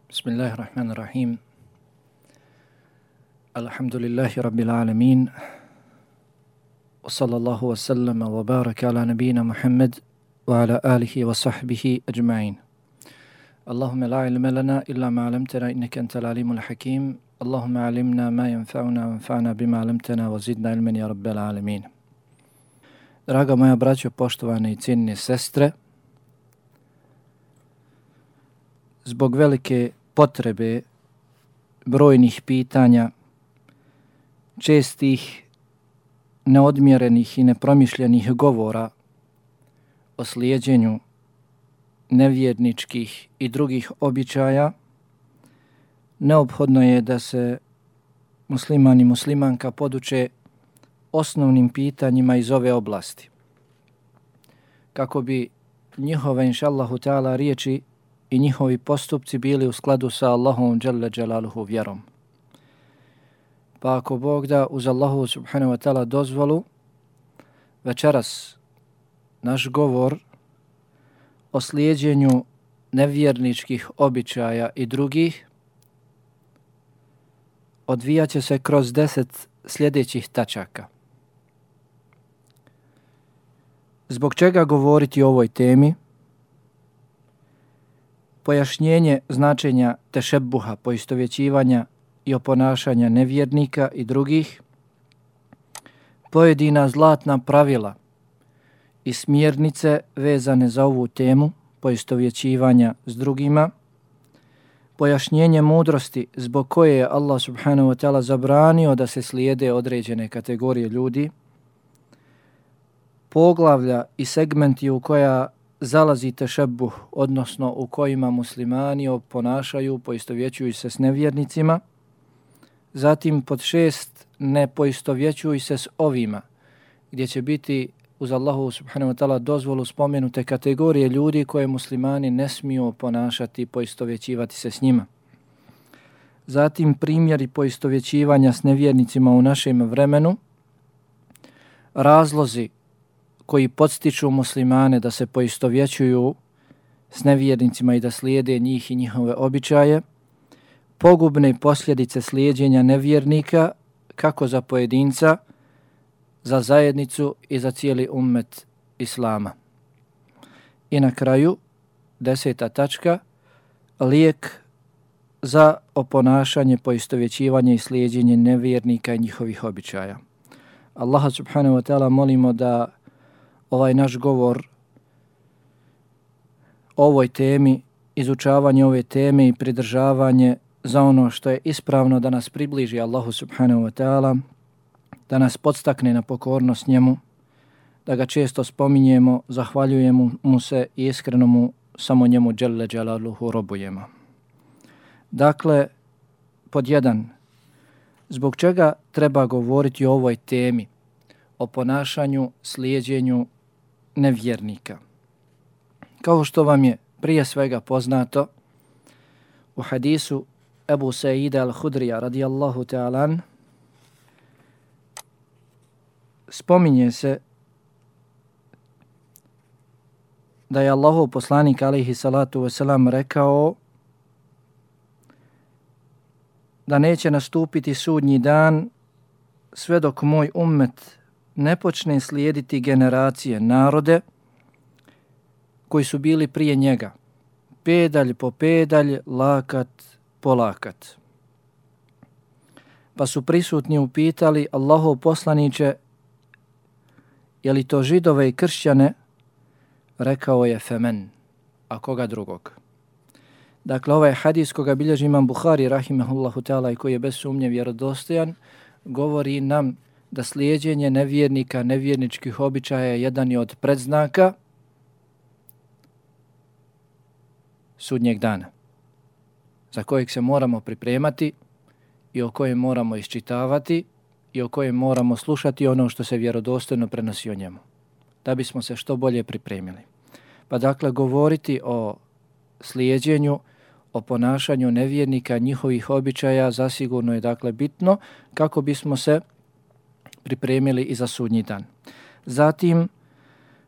Bismillahirrahmanirrahim. Alhamdulillahi rabbil alamin. Wa sallallahu wa sallama wa baraka ala nabina Muhammad wa ala alihi wa sahbihi ajma'in. Allahumma la ilma lana illa ma 'allamtana innaka antal alimul hakim. Allahumma 'allimna ma yanfa'una wanfa'na bima 'allamtana wa zidna ilman ya rabbal alamin. Draga moja braćo, poštovane i cijenjene sestre, zbog velike potrebe brojnih pitanja, čestih, neodmjerenih i nepromišljenih govora o slijeđenju nevjerničkih i drugih običaja, neophodno je da se musliman i muslimanka poduče osnovnim pitanjima iz ove oblasti, kako bi njihove, inšallahu ta'ala, riječi i njihovi postupci bili u skladu sa Allahom dželle dželaluhu vjerom. Pa ako Bog da, uz Allahu subhanahu wa ta'ala dozvolu, večeras naš govor o slijeđenju nevjerničkih običaja i drugih odvijat će se kroz 10 sljedećih tačaka. Zbog čega govoriti o ovoj temi? Pojašnjenje značenja tešebbuha, poistovjećivanja i oponašanja nevjernika i drugih, pojedina zlatna pravila i smjernice vezane za ovu temu, poistovjećivanja s drugima, pojašnjenje mudrosti zbog koje je Allah subhanahu wa ta'ala zabranio da se slijede određene kategorije ljudi, poglavlja i segmenti u koja zalazi tešebbuh, odnosno u kojima muslimani oponašaju, poistovjećuju se s nevjernicima. Zatim pod 6, ne poistovjećuju se s ovima, gdje će biti uz Allahu subhanahu wa ta'ala dozvolu spomenute kategorije ljudi koje muslimani ne smiju oponašati, poistovjećivati se s njima. Zatim primjeri poistovjećivanja s nevjernicima u našem vremenu, razlozi koji podstiču muslimane da se poistovjećuju s nevjernicima i da slijede njih i njihove običaje, pogubne posljedice slijeđenja nevjernika kako za pojedinca, za zajednicu i za cijeli ummet Islama. I na kraju, 10. tačka, lijek za oponašanje, poistovjećivanje i slijeđenje nevjernika i njihovih običaja. Allaha subhanahu wa ta'ala molimo da ovaj naš govor o ovoj temi, izučavanje ove teme i pridržavanje za ono što je ispravno da nas približi Allahu subhanahu wa ta'ala, da nas podstakne na pokornost njemu, da ga često spominjemo, zahvaljujemo mu se i iskreno mu samo njemu dželle dželaluhu robujemo. Dakle, pod 1, zbog čega treba govoriti o ovoj temi, o ponašanju, slijeđenju nevjernika? Kao što vam je prije svega poznato, u hadisu Ebu Sa'ida al-Hudrija radijallahu ta'alan spominje se da je Allahov poslanik alejhi salatu vesselam rekao da neće nastupiti sudnji dan sve dok moj ummet ne počne slijediti generacije, narode koji su bili prije njega, pedalj po pedalj, lakat po lakat. Pa su prisutni upitali: Allahov poslaniće, je li to židove i kršćane? Rekao je: femen, a koga drugog? Dakle, ovaj hadis koga bilježi imam Buhari rahimehullahu ta'ala i koji je bez sumnje vjerodostojan, govori nam da slijeđenje nevjernika, nevjerničkih običaja je jedan je od predznaka sudnjeg dana, za kojeg se moramo pripremati i o kojem moramo iščitavati i o kojem moramo slušati ono što se vjerodostojno prenosi o njemu, da bismo se što bolje pripremili. Pa dakle, govoriti o slijeđenju, o ponašanju nevjernika, njihovih običaja, zasigurno je dakle bitno kako bismo se pripremili i za sudnji dan. Zatim,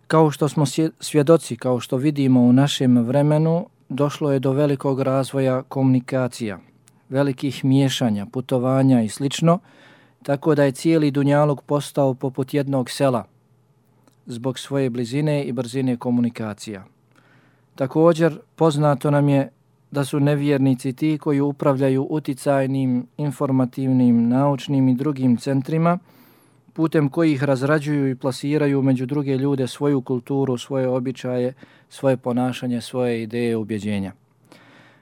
kao što smo svjedoci, kao što vidimo u našem vremenu, došlo je do velikog razvoja komunikacija, velikih miješanja, putovanja i slično, tako da je cijeli dunjaluk postao poput jednog sela zbog svoje blizine i brzine komunikacija. Također, poznato nam je da su nevjernici ti koji upravljaju uticajnim, informativnim, naučnim i drugim centrima, putem kojih razrađuju i plasiraju među druge ljude svoju kulturu, svoje običaje, svoje ponašanje, svoje ideje, ubjeđenja.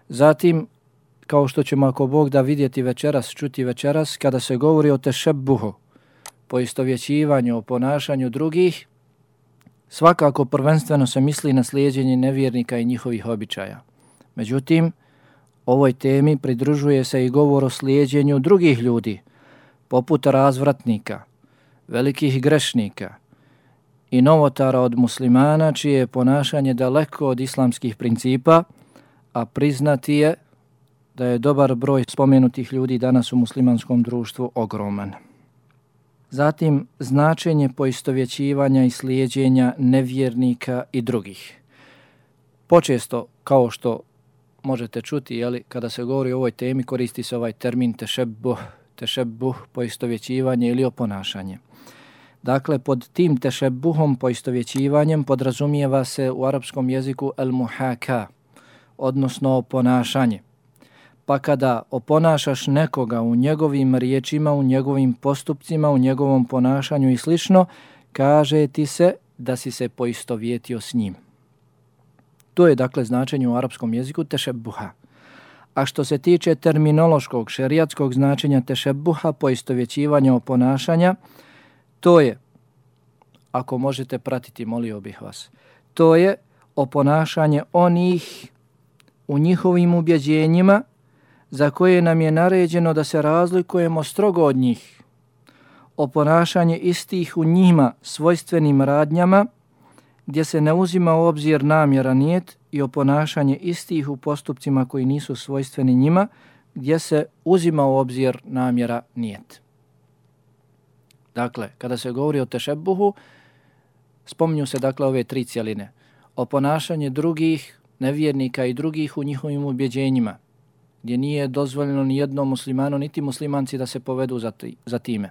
Zatim, kao što ćemo ako Bog da vidjeti večeras, čuti večeras, kada se govori o tešebbuhu, poistovjećivanju, o ponašanju drugih, svakako prvenstveno se misli na slijeđenje nevjernika i njihovih običaja. Međutim, ovoj temi pridružuje se i govor o slijeđenju drugih ljudi, poput razvratnika, velikih grešnika i novotara od muslimana, čije je ponašanje daleko od islamskih principa, a priznati je da je dobar broj spomenutih ljudi danas u muslimanskom društvu ogroman. Zatim, značenje poistovjećivanja i slijeđenja nevjernika i drugih. Počesto, kao što možete čuti, kada se govori o ovoj temi, koristi se ovaj termin tešebbuh, poistovjećivanje ili oponašanje. Dakle, pod tim tešebbuhom, poistovjećivanjem, podrazumijeva se u arapskom jeziku el-muhaka, odnosno oponašanje. Pa kada oponašaš nekoga u njegovim riječima, u njegovim postupcima, u njegovom ponašanju i slično, kaže ti se da si se poistovjetio s njim. To je dakle značenje u arapskom jeziku tešebbuha. A što se tiče terminološkog, šerijatskog značenja tešebbuha, poistovjećivanja, oponašanja, to je, ako možete pratiti, molio bih vas, to je oponašanje onih u njihovim ubjeđenjima za koje nam je naređeno da se razlikujemo strogo od njih. Oponašanje istih u njima svojstvenim radnjama gdje se ne uzima u obzir namjera nijet i oponašanje istih u postupcima koji nisu svojstveni njima gdje se uzima u obzir namjera nijet. Dakle, kada se govori o tešebbuhu, spominju se dakle ove tri cjeline. Oponašanje drugih nevjernika i drugih u njihovim ubjeđenjima, gdje nije dozvoljeno ni jednom muslimanu, niti muslimanci da se povedu za time.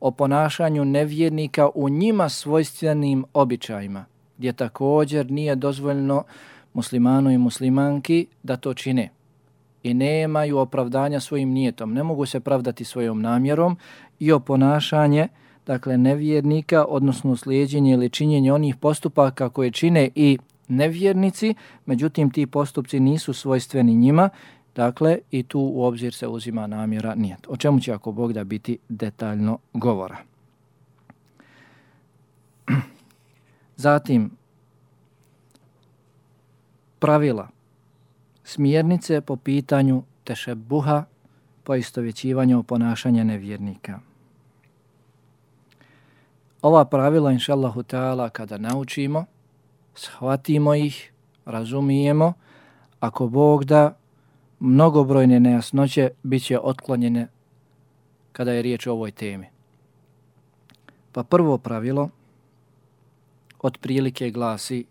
O ponašanju nevjernika u njima svojstvenim običajima, gdje također nije dozvoljeno muslimanu i muslimanki da to čine i nemaju opravdanja svojim nijetom, ne mogu se pravdati svojom namjerom, i o ponašanje, dakle, nevjernika, odnosno slijeđenje ili činjenje onih postupaka koje čine i nevjernici, međutim ti postupci nisu svojstveni njima, dakle, i tu u obzir se uzima namjera nijet. O čemu će ako Bog da biti detaljno govora. Zatim, pravila, smjernice po pitanju tešebbuha, poistovjećivanja ponašanja nevjernika. Ova pravila, inšallahu ta'ala, kada naučimo, shvatimo ih, razumijemo, ako Bog da, mnogobrojne nejasnoće bit će otklonjene kada je riječ o ovoj temi. Pa prvo pravilo otprilike glasi: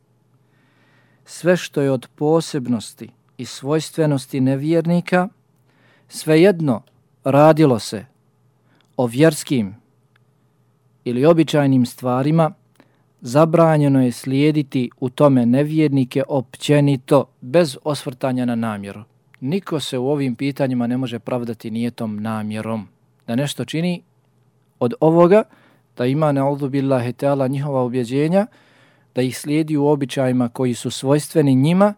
sve što je od posebnosti i svojstvenosti nevjernika, svejedno radilo se o vjerskim ili običajnim stvarima, zabranjeno je slijediti u tome nevjernike općenito, bez osvrtanja na namjeru. Niko se u ovim pitanjima ne može pravdati nijetom namjerom. Da nešto čini od ovoga, da ima na'udhu billahi ta'ala njihova ubjeđenja, da ih slijedi u običajima koji su svojstveni njima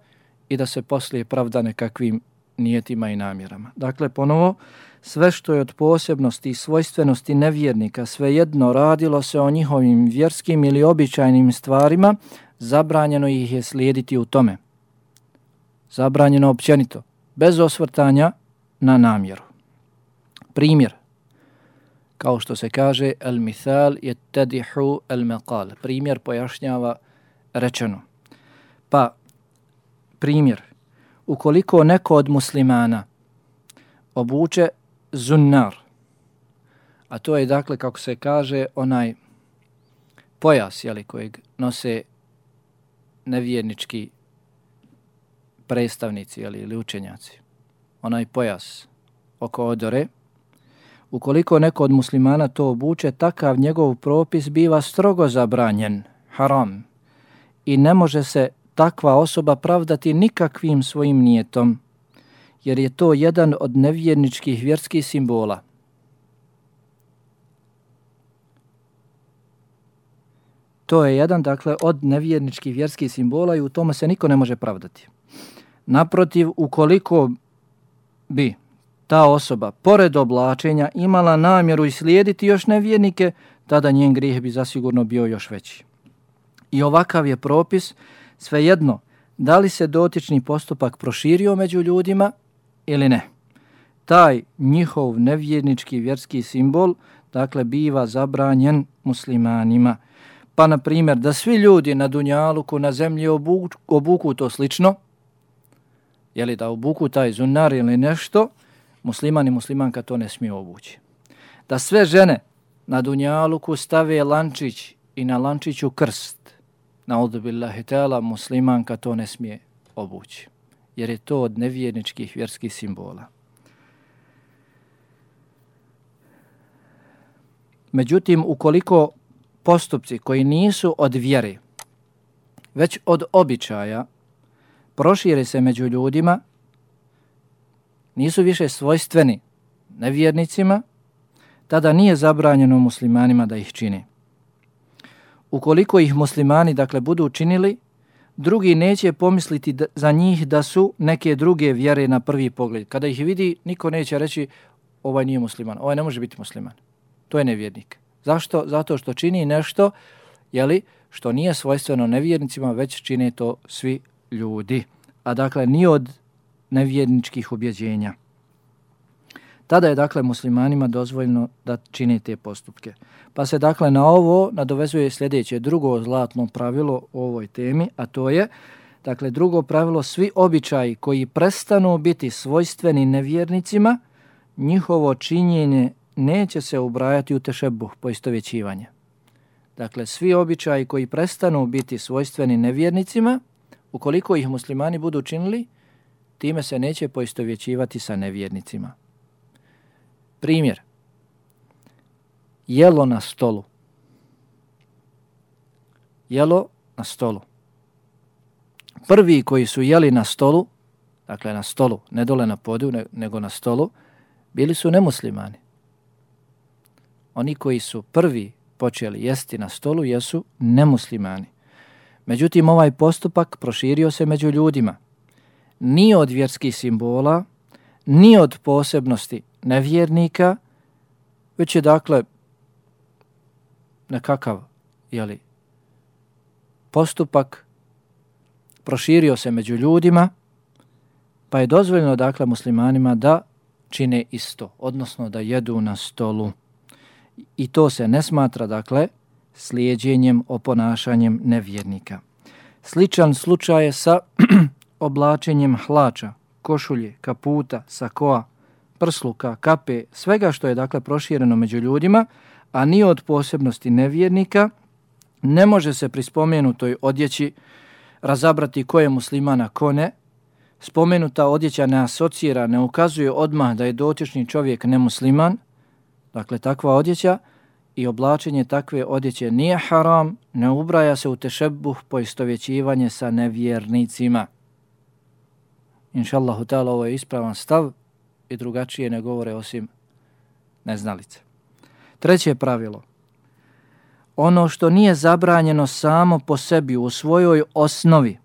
i da se poslije pravda nekakvim nijetima i namjerama. Dakle, ponovo, sve što je od posebnosti i svojstvenosti nevjernika, svejedno radilo se o njihovim vjerskim ili običajnim stvarima, zabranjeno ih je slijediti u tome. Zabranjeno općenito, bez osvrtanja na namjeru. Primjer, kao što se kaže, el mithal yattadihu el maqal. Primjer pojašnjava rečeno. Pa, primjer, ukoliko neko od muslimana obuče zunnar, a to je dakle, kako se kaže, onaj pojas, kojeg nose nevjernički predstavnici ili učenjaci, onaj pojas oko odore, ukoliko neko od muslimana to obuče, takav njegov propis biva strogo zabranjen, haram, i ne može se takva osoba pravdati nikakvim svojim nijetom, jer je to jedan od nevjerničkih vjerskih simbola. To je jedan, dakle, od nevjerničkih vjerskih simbola i u tome se niko ne može pravdati. Naprotiv, ukoliko bi ta osoba, pored oblačenja, imala namjeru islijediti još nevjernike, tada njen grijeh bi zasigurno bio još veći. I ovakav je propis, svejedno, da li se dotični postupak proširio među ljudima ili ne. Taj njihov nevjernički vjerski simbol, dakle, biva zabranjen muslimanima. Pa, na primjer, da svi ljudi na dunjaluku, na zemlji obuku to slično, jeli da obuku taj zunar ili nešto, musliman i muslimanka to ne smije obući. Da sve žene na dunjaluku stave lančić i na lančiću krst, naudhu billahi ta'ala, muslimanka to ne smije obući, jer je to od nevjerničkih vjerskih simbola. Međutim, ukoliko postupci koji nisu od vjere, već od običaja, prošire se među ljudima, nisu više svojstveni nevjernicima, tada nije zabranjeno muslimanima da ih čine. Ukoliko ih muslimani, dakle, budu učinili, drugi neće pomisliti za njih da su neke druge vjere na prvi pogled. Kada ih vidi, niko neće reći ovaj nije musliman, ovaj ne može biti musliman. To je nevjernik. Zašto? Zato što čini nešto, jeli, što nije svojstveno nevjernicima, već čine to svi ljudi. A dakle, nije od nevjerničkih ubjeđenja. Tada je, dakle, muslimanima dozvoljeno da čine te postupke. Pa se, dakle, na ovo nadovezuje sljedeće, drugo zlatno pravilo o ovoj temi, a to je, dakle, drugo pravilo, svi običaji koji prestanu biti svojstveni nevjernicima, njihovo činjenje neće se ubrajati u tešebuh, poistovjećivanje. Dakle, svi običaji koji prestanu biti svojstveni nevjernicima, ukoliko ih muslimani budu činili, time se neće poistovjećivati sa nevjernicima. Primjer. Jelo na stolu. Jelo na stolu. Prvi koji su jeli na stolu, dakle na stolu, ne dole na podiju, nego na stolu, bili su nemuslimani. Oni koji su prvi počeli jesti na stolu jesu nemuslimani. Međutim, ovaj postupak proširio se među ljudima. Ni od vjerskih simbola, ni od posebnosti nevjernika, već je, dakle, nekakav, jeli, postupak proširio se među ljudima, pa je dozvoljeno, dakle, muslimanima da čine isto, odnosno da jedu na stolu. I to se ne smatra, dakle, slijedjenjem, oponašanjem nevjernika. Sličan slučaj je sa oblačenjem hlača, košulje, kaputa, sakoa, prsluka, kape, svega što je, dakle, prošireno među ljudima, a nije od posebnosti nevjernika, ne može se pri spomenutoj odjeći razabrati ko je muslimana, ko ne. Spomenuta odjeća ne asocira, ne ukazuje odmah da je dotični čovjek nemusliman. Dakle, takva odjeća i oblačenje takve odjeće nije haram, ne ubraja se u tešebuh, poistovjećivanje sa nevjernicima. Inšallahu ta'ala, ovo je ispravan stav i drugačije ne govore osim neznalice. Treće pravilo. Ono što nije zabranjeno samo po sebi u svojoj osnovi,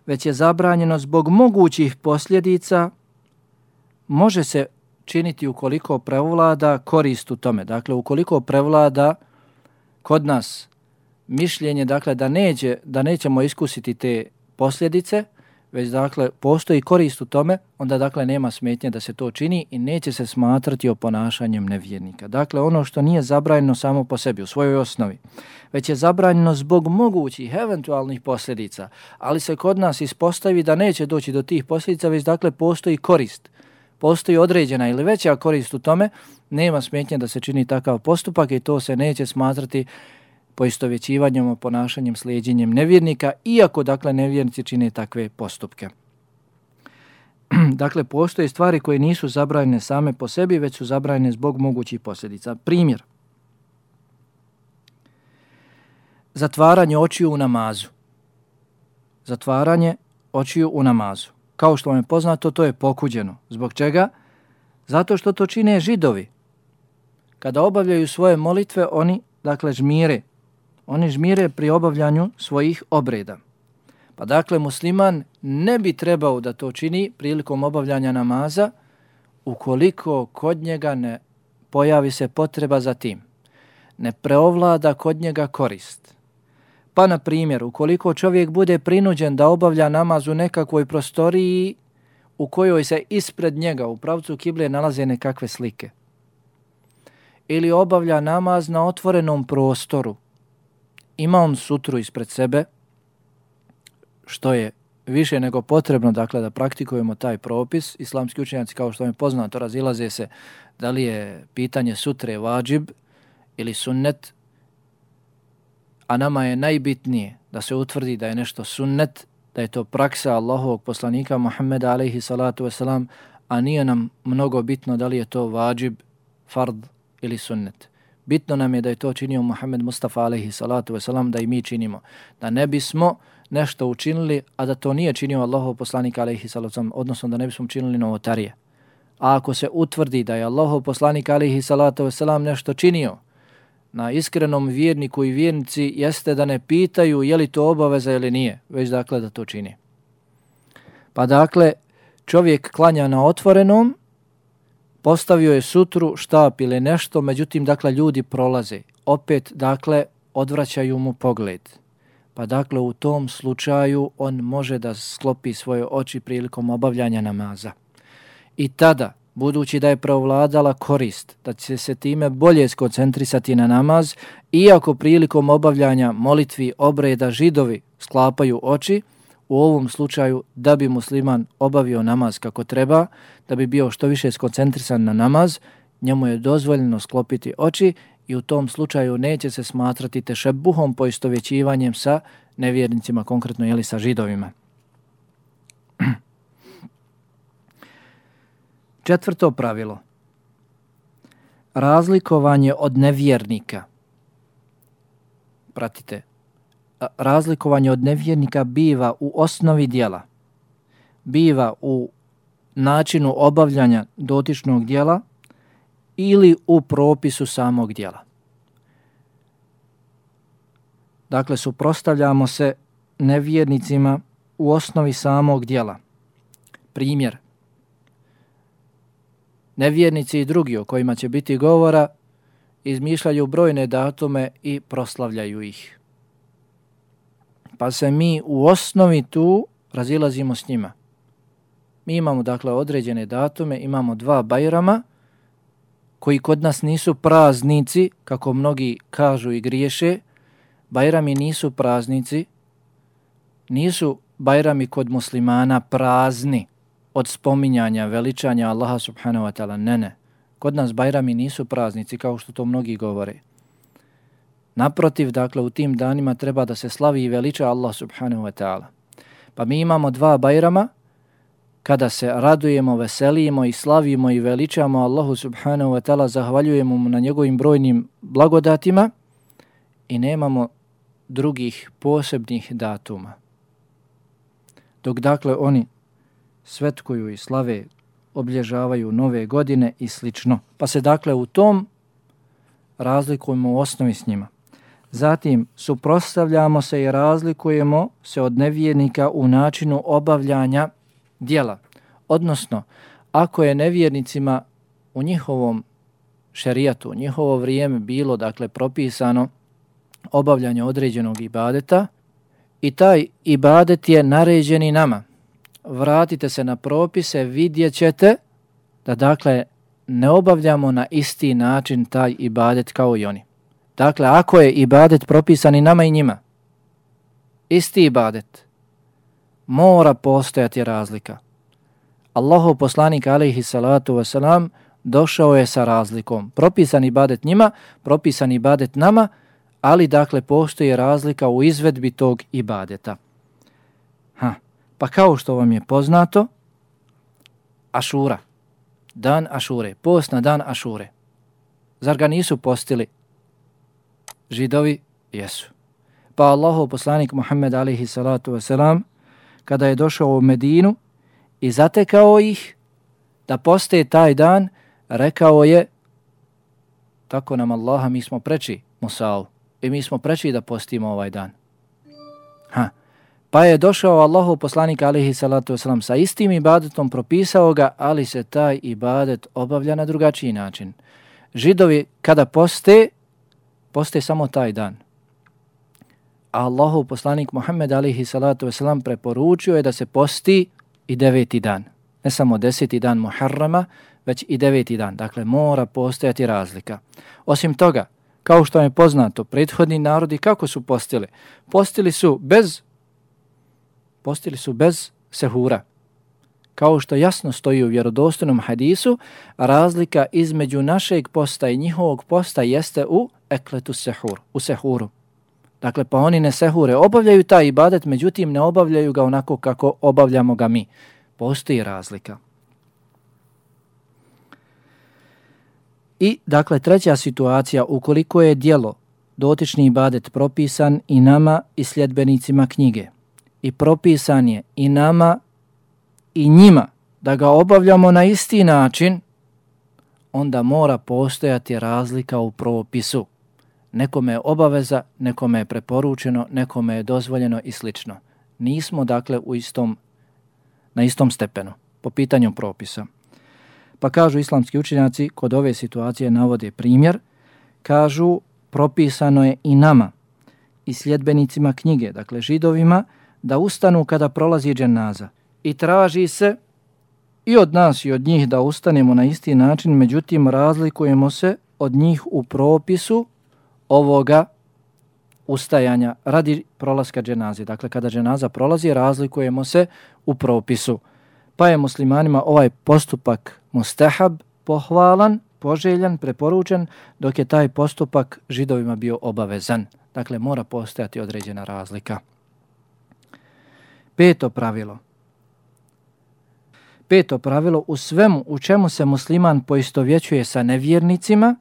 već je zabranjeno zbog mogućih posljedica, može se činiti ukoliko prevlada korist u tome. Dakle, ukoliko prevlada kod nas mišljenje, dakle, da nećemo iskusiti te posljedice, već, dakle, postoji korist u tome, onda, dakle, nema smetnje da se to čini i neće se smatrati oponašanjem nevjernika. Dakle, ono što nije zabranjeno samo po sebi, u svojoj osnovi, već je zabranjeno zbog mogućih eventualnih posljedica, ali se kod nas ispostavi da neće doći do tih posljedica, već, dakle, postoji korist, postoji određena ili veća korist u tome, nema smetnje da se čini takav postupak i to se neće smatrati poistovjećivanjem, ponašanjem, slijedjenjem nevjernika, iako dakle nevjernici čine takve postupke. Dakle, postoje stvari koje nisu zabranjene same po sebi, već su zabranjene zbog mogućih posljedica. Primjer. Zatvaranje očiju u namazu. Zatvaranje očiju u namazu. Kao što vam je poznato, to je pokuđeno. Zbog čega? Zato što to čine Židovi. Kada obavljaju svoje molitve, oni, dakle, žmire. Oni žmire pri obavljanju svojih obreda. Pa dakle, musliman ne bi trebao da to čini prilikom obavljanja namaza ukoliko kod njega ne pojavi se potreba za tim. Ne preovlada kod njega korist. Pa, na primjer, ukoliko čovjek bude prinuđen da obavlja namaz u nekakvoj prostoriji u kojoj se ispred njega u pravcu kible nalaze nekakve slike, ili obavlja namaz na otvorenom prostoru, ima on sutru ispred sebe, što je više nego potrebno, dakle, da praktikujemo taj propis. Islamski učenjaci, kao što vam je poznato, razilaze se da li je pitanje sutre vađib ili sunnet, a nama je najbitnije da se utvrdi da je nešto sunnet, da je to praksa Allahovog poslanika Muhammeda alejhi salatu vesselam, a nije nam mnogo bitno da li je to vađib, fard ili sunnet. Bitno nam je da je to činio Muhammed Mustafa alejhi salatu vesselam, da i mi činimo. Da ne bismo nešto učinili, a da to nije činio Allahov poslanik alejhi salatu vesselam, odnosno da ne bismo učinili novotarije. A ako se utvrdi da je Allahov poslanik alejhi salatu vesselam nešto činio, na iskrenom vjerniku i vjernici jeste da ne pitaju je li to obaveza ili nije, već dakle da to čini. Pa dakle, čovjek klanja na otvorenom, postavio je sutru, štap ili nešto, međutim, dakle, ljudi prolaze. Opet, dakle, odvraćaju mu pogled. Pa dakle, u tom slučaju on može da sklopi svoje oči prilikom obavljanja namaza. I tada, budući da je preovladala korist, da će se time bolje skoncentrisati na namaz, iako prilikom obavljanja molitvi, obreda, Židovi sklapaju oči, u ovom slučaju da bi musliman obavio namaz kako treba, da bi bio što više skoncentrisan na namaz, njemu je dozvoljeno sklopiti oči i u tom slučaju neće se smatrati tešebuhom, poistovjećivanjem sa nevjernicima, konkretno jeli sa Židovima. Četvrto pravilo. Razlikovanje od nevjernika. Pratite. Razlikovanje od nevjernika biva u osnovi djela, biva u načinu obavljanja dotičnog djela ili u propisu samog djela. Dakle, suprotstavljamo se nevjernicima u osnovi samog djela. Primjer. Nevjernici i drugi o kojima će biti govora izmišljaju brojne datume i proslavljaju ih. Pa se mi u osnovi tu razilazimo s njima. Mi imamo dakle određene datume, imamo 2 Bajrama koji kod nas nisu praznici, kako mnogi kažu i griješe. Bajrami nisu praznici, nisu Bajrami kod muslimana prazni od spominjanja, veličanja Allaha subhanahu wa ta'ala. Ne. Kod nas Bajrami nisu praznici, kao što to mnogi govore. Naprotiv, dakle, u tim danima treba da se slavi i veliča Allah subhanahu wa ta'ala. Pa mi imamo 2 Bajrama kada se radujemo, veselimo i slavimo i veličamo Allahu subhanahu wa ta'ala, zahvaljujemo mu na njegovim brojnim blagodatima i nemamo drugih posebnih datuma. Dok dakle oni svetkuju i slave, obilježavaju nove godine i slično. Pa se dakle u tom razlikujemo u osnovi s njima. Zatim suprotstavljamo se i razlikujemo se od nevjernika u načinu obavljanja djela. Odnosno, ako je nevjernicima u njihovom šerijatu, u njihovo vrijeme bilo dakle propisano obavljanje određenog ibadeta i taj ibadet je naređen i nama, vratite se na propise, vidjet ćete da dakle ne obavljamo na isti način taj ibadet kao i oni. Dakle, ako je ibadet propisan i nama i njima, isti ibadet, mora postojati razlika. Allahov poslanik alejhi salatu vesselam došao je sa razlikom. Propisan ibadet njima, propisan ibadet nama, ali dakle postoji razlika u izvedbi tog ibadeta. Pa kao što vam je poznato, Ašura, dan Ašure, post na dan Ašure. Zar ga nisu postili Židovi? Jesu. Pa Allahov poslanik Muhammed alejhi salatu vesselam, kada je došao u Medinu i zatekao ih da poste taj dan, rekao je: tako nam Allaha, mi smo preči Musa'u i mi smo preči da postimo ovaj dan. Pa je došao Allahov poslanik alejhi salatu vesselam sa istim ibadetom, propisao ga, ali se taj ibadet obavlja na drugačiji način. Židovi kada poste samo taj dan. A Allahov poslanik Muhammed alejhi salatu vesselam preporučio je da se posti i 9. dan. Ne samo 10. dan Muharrama, već i 9. dan. Dakle, mora postojati razlika. Osim toga, kao što je poznato, prethodni narodi kako su postili? Postili su bez sehura. Kao što jasno stoji u vjerodostojnom hadisu, razlika između našeg posta i njihovog posta jeste u ekletu sehur, u sehuru. Dakle, pa oni ne sehure, obavljaju taj ibadet, međutim ne obavljaju ga onako kako obavljamo ga mi. Postoji razlika. I, dakle, treća situacija, ukoliko je djelo, dotični ibadet propisan i nama i sljedbenicima knjige, i propisan je i nama i njima da ga obavljamo na isti način, onda mora postojati razlika u propisu. Nekome je obaveza, nekome je preporučeno, nekome je dozvoljeno i slično. Nismo dakle na istom stepenu po pitanju propisa. Pa kažu islamski učenjaci, kod ove situacije navode primjer, kažu propisano je i nama i sljedbenicima knjige, dakle Židovima, da ustanu kada prolazi dženaza. I traži se i od nas i od njih da ustanemo na isti način, međutim razlikujemo se od njih u propisu ovoga ustajanja radi prolaska dženaze. Dakle, kada dženaza prolazi, razlikujemo se u propisu. Pa je muslimanima ovaj postupak mustahab, pohvalan, poželjan, preporučen, dok je taj postupak Židovima bio obavezan. Dakle, mora postojati određena razlika. Peto pravilo u svemu u čemu se musliman poistovjećuje sa nevjernicima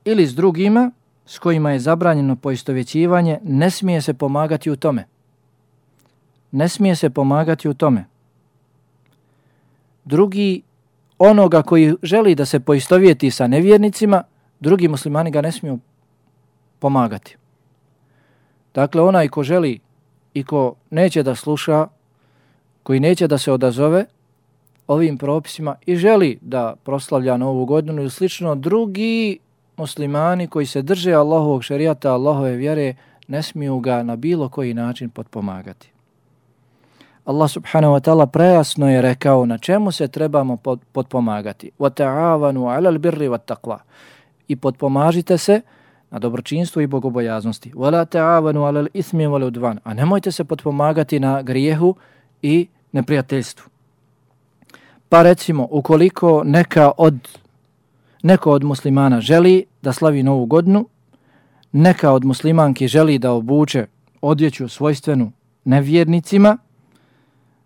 ili s drugima s kojima je zabranjeno poistovjećivanje, ne smije se pomagati u tome. Ne smije se pomagati u tome. Drugi, onoga koji želi da se poistovjeti sa nevjernicima, drugi muslimani ga ne smiju pomagati. Dakle, onaj ko želi i ko neće da sluša, koji neće da se odazove ovim propisima i želi da proslavlja Novu godinu ili slično, drugi muslimani koji se drže Allahovog šerijata, Allahove vjere, ne smiju ga na bilo koji način potpomagati. Allah subhanahu wa ta'ala prejasno je rekao na čemu se trebamo potpomagati. وَتَعَاوَنُوا عَلَى الْبِرِّ وَالتَّقْوَى. I potpomažite se na dobročinstvu i bogobojaznosti. وَلَا تَعَاوَنُوا عَلَى الْإِثْمِ وَالْعُدْوَانِ. A nemojte se potpomagati na grijehu i neprijateljstvu. Pa recimo, ukoliko neko od muslimana želi da slavi Novu godinu, neka od muslimanki želi da obuče odjeću svojstvenu nevjernicima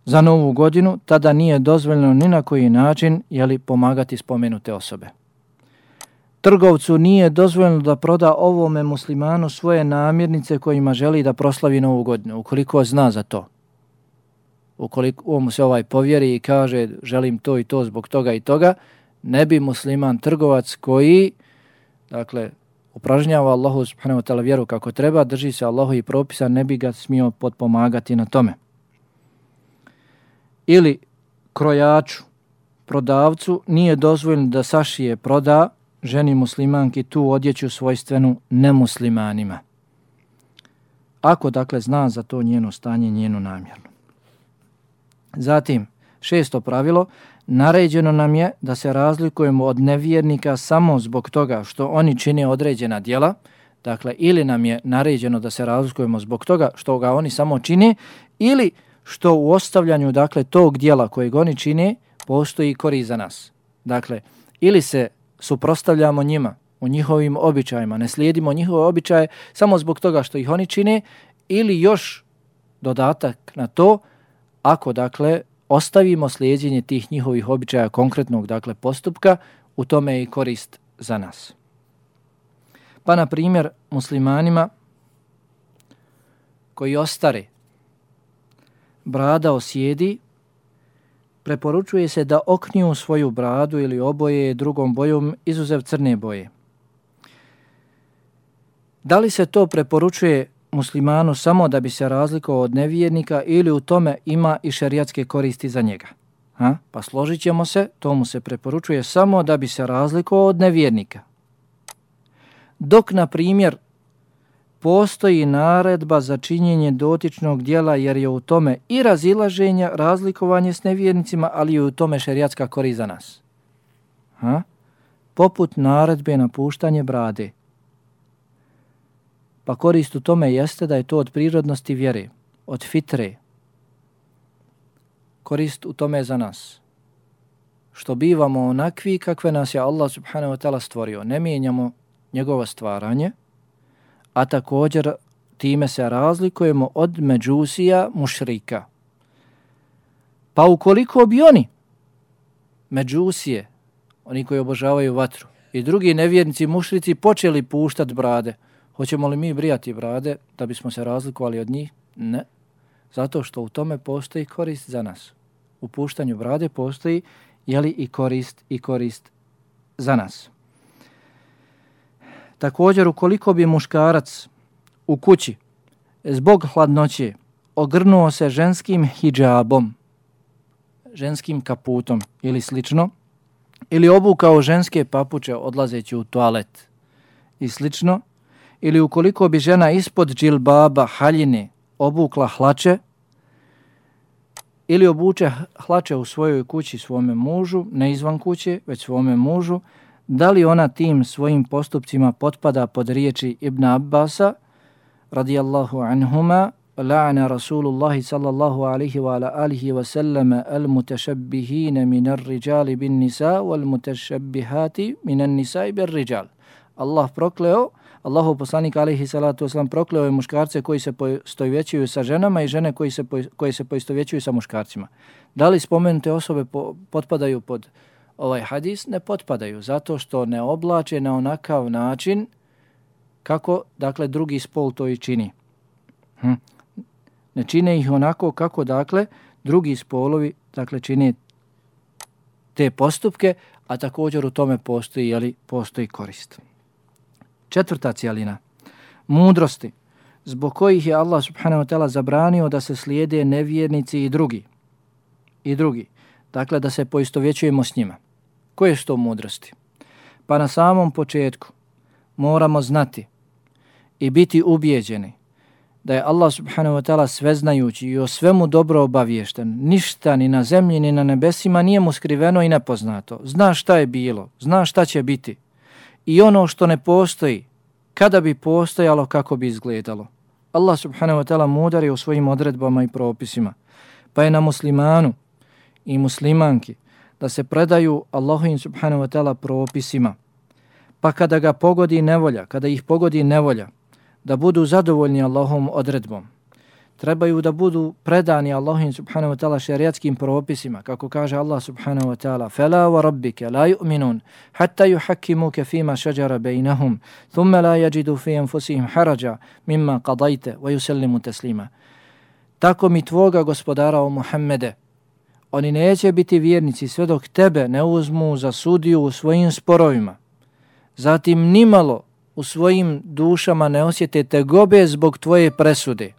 za Novu godinu, tada nije dozvoljeno ni na koji način pomagati spomenute osobe. Trgovcu nije dozvoljeno da proda ovome muslimanu svoje namirnice kojima želi da proslavi Novu godinu, ukoliko zna za to. Ukoliko mu se povjeri i kaže želim to i to zbog toga i toga, ne bi musliman trgovac koji, dakle, upražnjava Allahu subhanahu wa ta'ala vjeru kako treba, drži se Allahovih propisa, ne bi ga smio potpomagati na tome. Ili krojaču, prodavcu, nije dozvoljeno da sašije, proda ženi muslimanki tu odjeću svojstvenu nemuslimanima. Ako, dakle, zna za to njeno stanje, njenu namjeru. Zatim, 6. pravilo, naređeno nam je da se razlikujemo od nevjernika samo zbog toga što oni čine određena djela, dakle, ili nam je naređeno da se razlikujemo zbog toga što ga oni samo čine, ili što u ostavljanju, dakle, tog djela kojeg oni čine, postoji korist za nas. Dakle, ili se suprotstavljamo njima u njihovim običajima, ne slijedimo njihove običaje samo zbog toga što ih oni čine, ili još dodatak na to, ako dakle ostavimo slijedjenje tih njihovih običaja konkretnog dakle postupka, u tome je i korist za nas. Pa na primjer muslimanima koji ostare, brada osjedi, preporučuje se da okniju svoju bradu ili oboje drugom bojom izuzev crne boje. Da li se to preporučuje muslimanu samo da bi se razlikovao od nevjernika ili u tome ima i šerijatske koristi za njega? Pa složit ćemo se, to mu se preporučuje samo da bi se razlikovao od nevjernika. Dok, na primjer, postoji naredba za činjenje dotičnog djela jer je u tome i razilaženje, razlikovanje s nevjernicima, ali i u tome šerijatska korist za nas. Poput naredbe napuštanje brade. Pa korist u tome jeste da je to od prirodnosti vjere, od fitre. Korist u tome je za nas. Što bivamo onakvi kakve nas je Allah subhanahu wa ta'ala stvorio. Ne mijenjamo njegovo stvaranje, a također time se razlikujemo od međusija mušrika. Pa ukoliko bi oni, međusije, oni koji obožavaju vatru, i drugi nevjernici mušrici počeli puštati brade, hoćemo li mi brijati brade da bismo se razlikovali od njih? Ne. Zato što u tome postoji korist za nas. U puštanju brade postoji i korist za nas. Također, ukoliko bi muškarac u kući zbog hladnoće ogrnuo se ženskim hidžabom, ženskim kaputom ili slično, ili obukao ženske papuče odlazeći u toalet i slično, ili ukoliko bi žena ispod džilbaba haljine obukla hlače, ili obuče hlače u svojoj kući svome mužu, ne izvan kuće, već svome mužu, da li ona tim svojim postupcima potpada pod riječi Ibn Abbasa, radijallahu anhuma, la'ana Rasulullahi sallallahu alihi wa ala alihi wa sallama al-mutašabbihine minar rijali bin nisa wal mutašabbihati minan nisa bil rijal. Allah prokleo, Allahov poslanik alejhi salatu vesselam prokleo je muškarce koji se poistovjećuju sa ženama i žene koji se poistovjećuju sa muškarcima. Da li spomenute osobe potpadaju pod ovaj hadis? Ne potpadaju, zato što ne oblače na onakav način kako, dakle, drugi spol to i čini. Ne čine ih onako kako, dakle, drugi spolovi, dakle, čine te postupke, a također u tome postoji korist. Četvrta cijelina, mudrosti, zbog kojih je Allah subhanahu wa ta'ala zabranio da se slijede nevjernici i drugi. Dakle, da se poistovjećujemo s njima. Koje su to mudrosti? Pa na samom početku moramo znati i biti ubijeđeni da je Allah subhanahu wa ta'ala sveznajući i o svemu dobro obaviješten. Ništa ni na zemlji ni na nebesima nije mu skriveno i nepoznato. Zna šta je bilo, zna šta će biti. I ono što ne postoji, kada bi postojalo, kako bi izgledalo. Allah subhanahu wa ta'ala mudar je u svojim odredbama i propisima. Pa je na muslimanu i muslimanki da se predaju Allahovim subhanahu wa ta'ala propisima. Pa kada ih pogodi nevolja, da budu zadovoljni Allahovom odredbom. Trebaju da budu predani Allahovim subhanahu wa ta'ala šerijatskim propisima, kako kaže Allah subhanahu wa ta'ala: "Fala wa rabbika la yu'minun hatta yuhakkimuka fima shajara bainahum, thumma la yajidu fi anfusihim haraja mimma qadayta wa yusallimu taslima." Tako mi tvoga gospodara, o Muhammede, oni neće biti vjernici sve dok tebe ne uzmu za sudiju u svojim sporovima. Zatim nimalo u svojim dušama ne osjete tegobe zbog tvoje presude,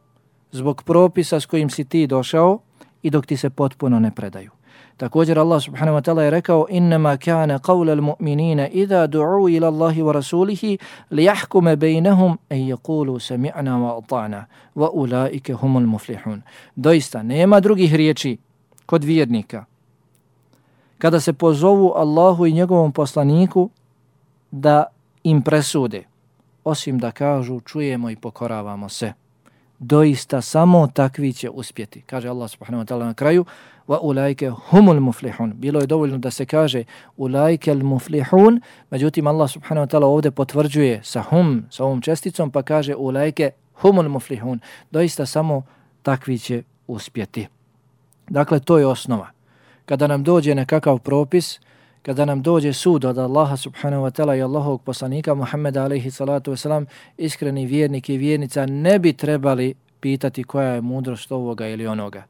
zbog propisa s kojim si ti došao i dok ti se potpuno ne predaju. Također Allah subhanahu wa ta'ala je rekao: "Innama kana qawla al-mu'minina idha du'u ila Allahi wa rasulihi liyahkuma bainahum an yaqulu sami'na wa ata'na wa ulaika humul muflihun." Doista nema drugih riječi kod vjernika kada se pozovu Allahu i njegovom poslaniku da im presude, osim da kažu: "Čujemo i pokoravamo se." doista samo takvi će uspjeti. Kaže Allah subhanahu wa ta'ala na kraju, wa ulaike humul muflihun. Bilo je dovoljno da se kaže ulaike al muflihun, međutim Allah subhanahu wa ta'ala ovdje potvrđuje sa ovom česticom, pa kaže ulaike humul muflihun. Doista samo takvi će uspjeti. Dakle, to je osnova. Kada nam dođe nekakav propis, kada nam dođe sud od Allaha subhanahu wa ta'ala i Allahovog poslanika Muhammeda alaihi salatu wasalam, iskreni vjernik i vjernica ne bi trebali pitati koja je mudrost ovoga ili onoga.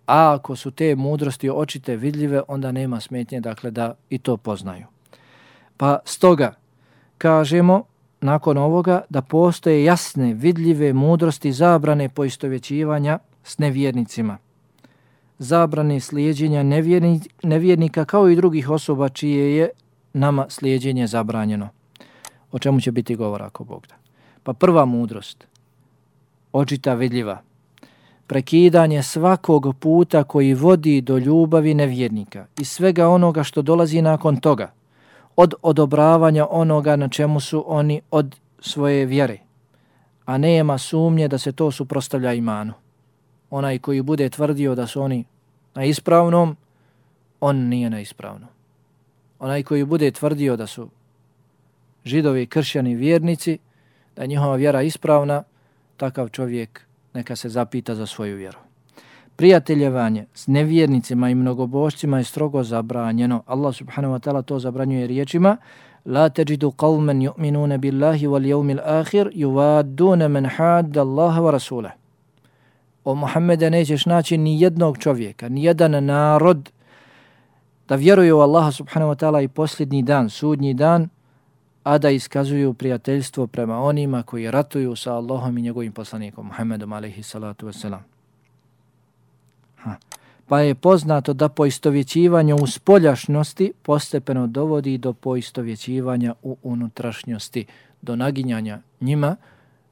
A ako su te mudrosti očite vidljive, onda nema smetnje, dakle, da i to poznaju. Pa stoga kažemo nakon ovoga da postoje jasne, vidljive mudrosti zabrane poistovjećivanja s nevjernicima, zabrane slijedjenja nevjernika kao i drugih osoba čije je nama slijedjenje zabranjeno. O čemu će biti govora ako Bog da. Pa prva mudrost, očita vidljiva, prekidanje svakog puta koji vodi do ljubavi nevjernika i svega onoga što dolazi nakon toga, od odobravanja onoga na čemu su oni od svoje vjere, a nema sumnje da se to suprotstavlja imanu. Onaj koji bude tvrdio da su oni na ispravnom, on nije na ispravnom. Onaj koji bude tvrdio da su židovi, kršćani, vjernici, da je njihova vjera ispravna, takav čovjek neka se zapita za svoju vjeru. Prijateljevanje s nevjernicima i mnogobožcima je strogo zabranjeno. Allah subhanahu wa ta'ala to zabranjuje riječima: La teđidu qavmen yu'minune billahi wal jevmil ahir yuvaddune men hadda Allaha wa rasulah. O Muhammede, nećeš naći ni jednog čovjeka, ni jedan narod da vjeruju u Allaha subhanahu wa ta'ala i posljednji dan, sudnji dan, a da iskazuju prijateljstvo prema onima koji ratuju sa Allahom i njegovim poslanikom Muhammedom alejhi salatu vesselam. Pa je poznato da poistovjećivanje u spoljašnosti postepeno dovodi do poistovjećivanja u unutrašnjosti, do naginjanja njima,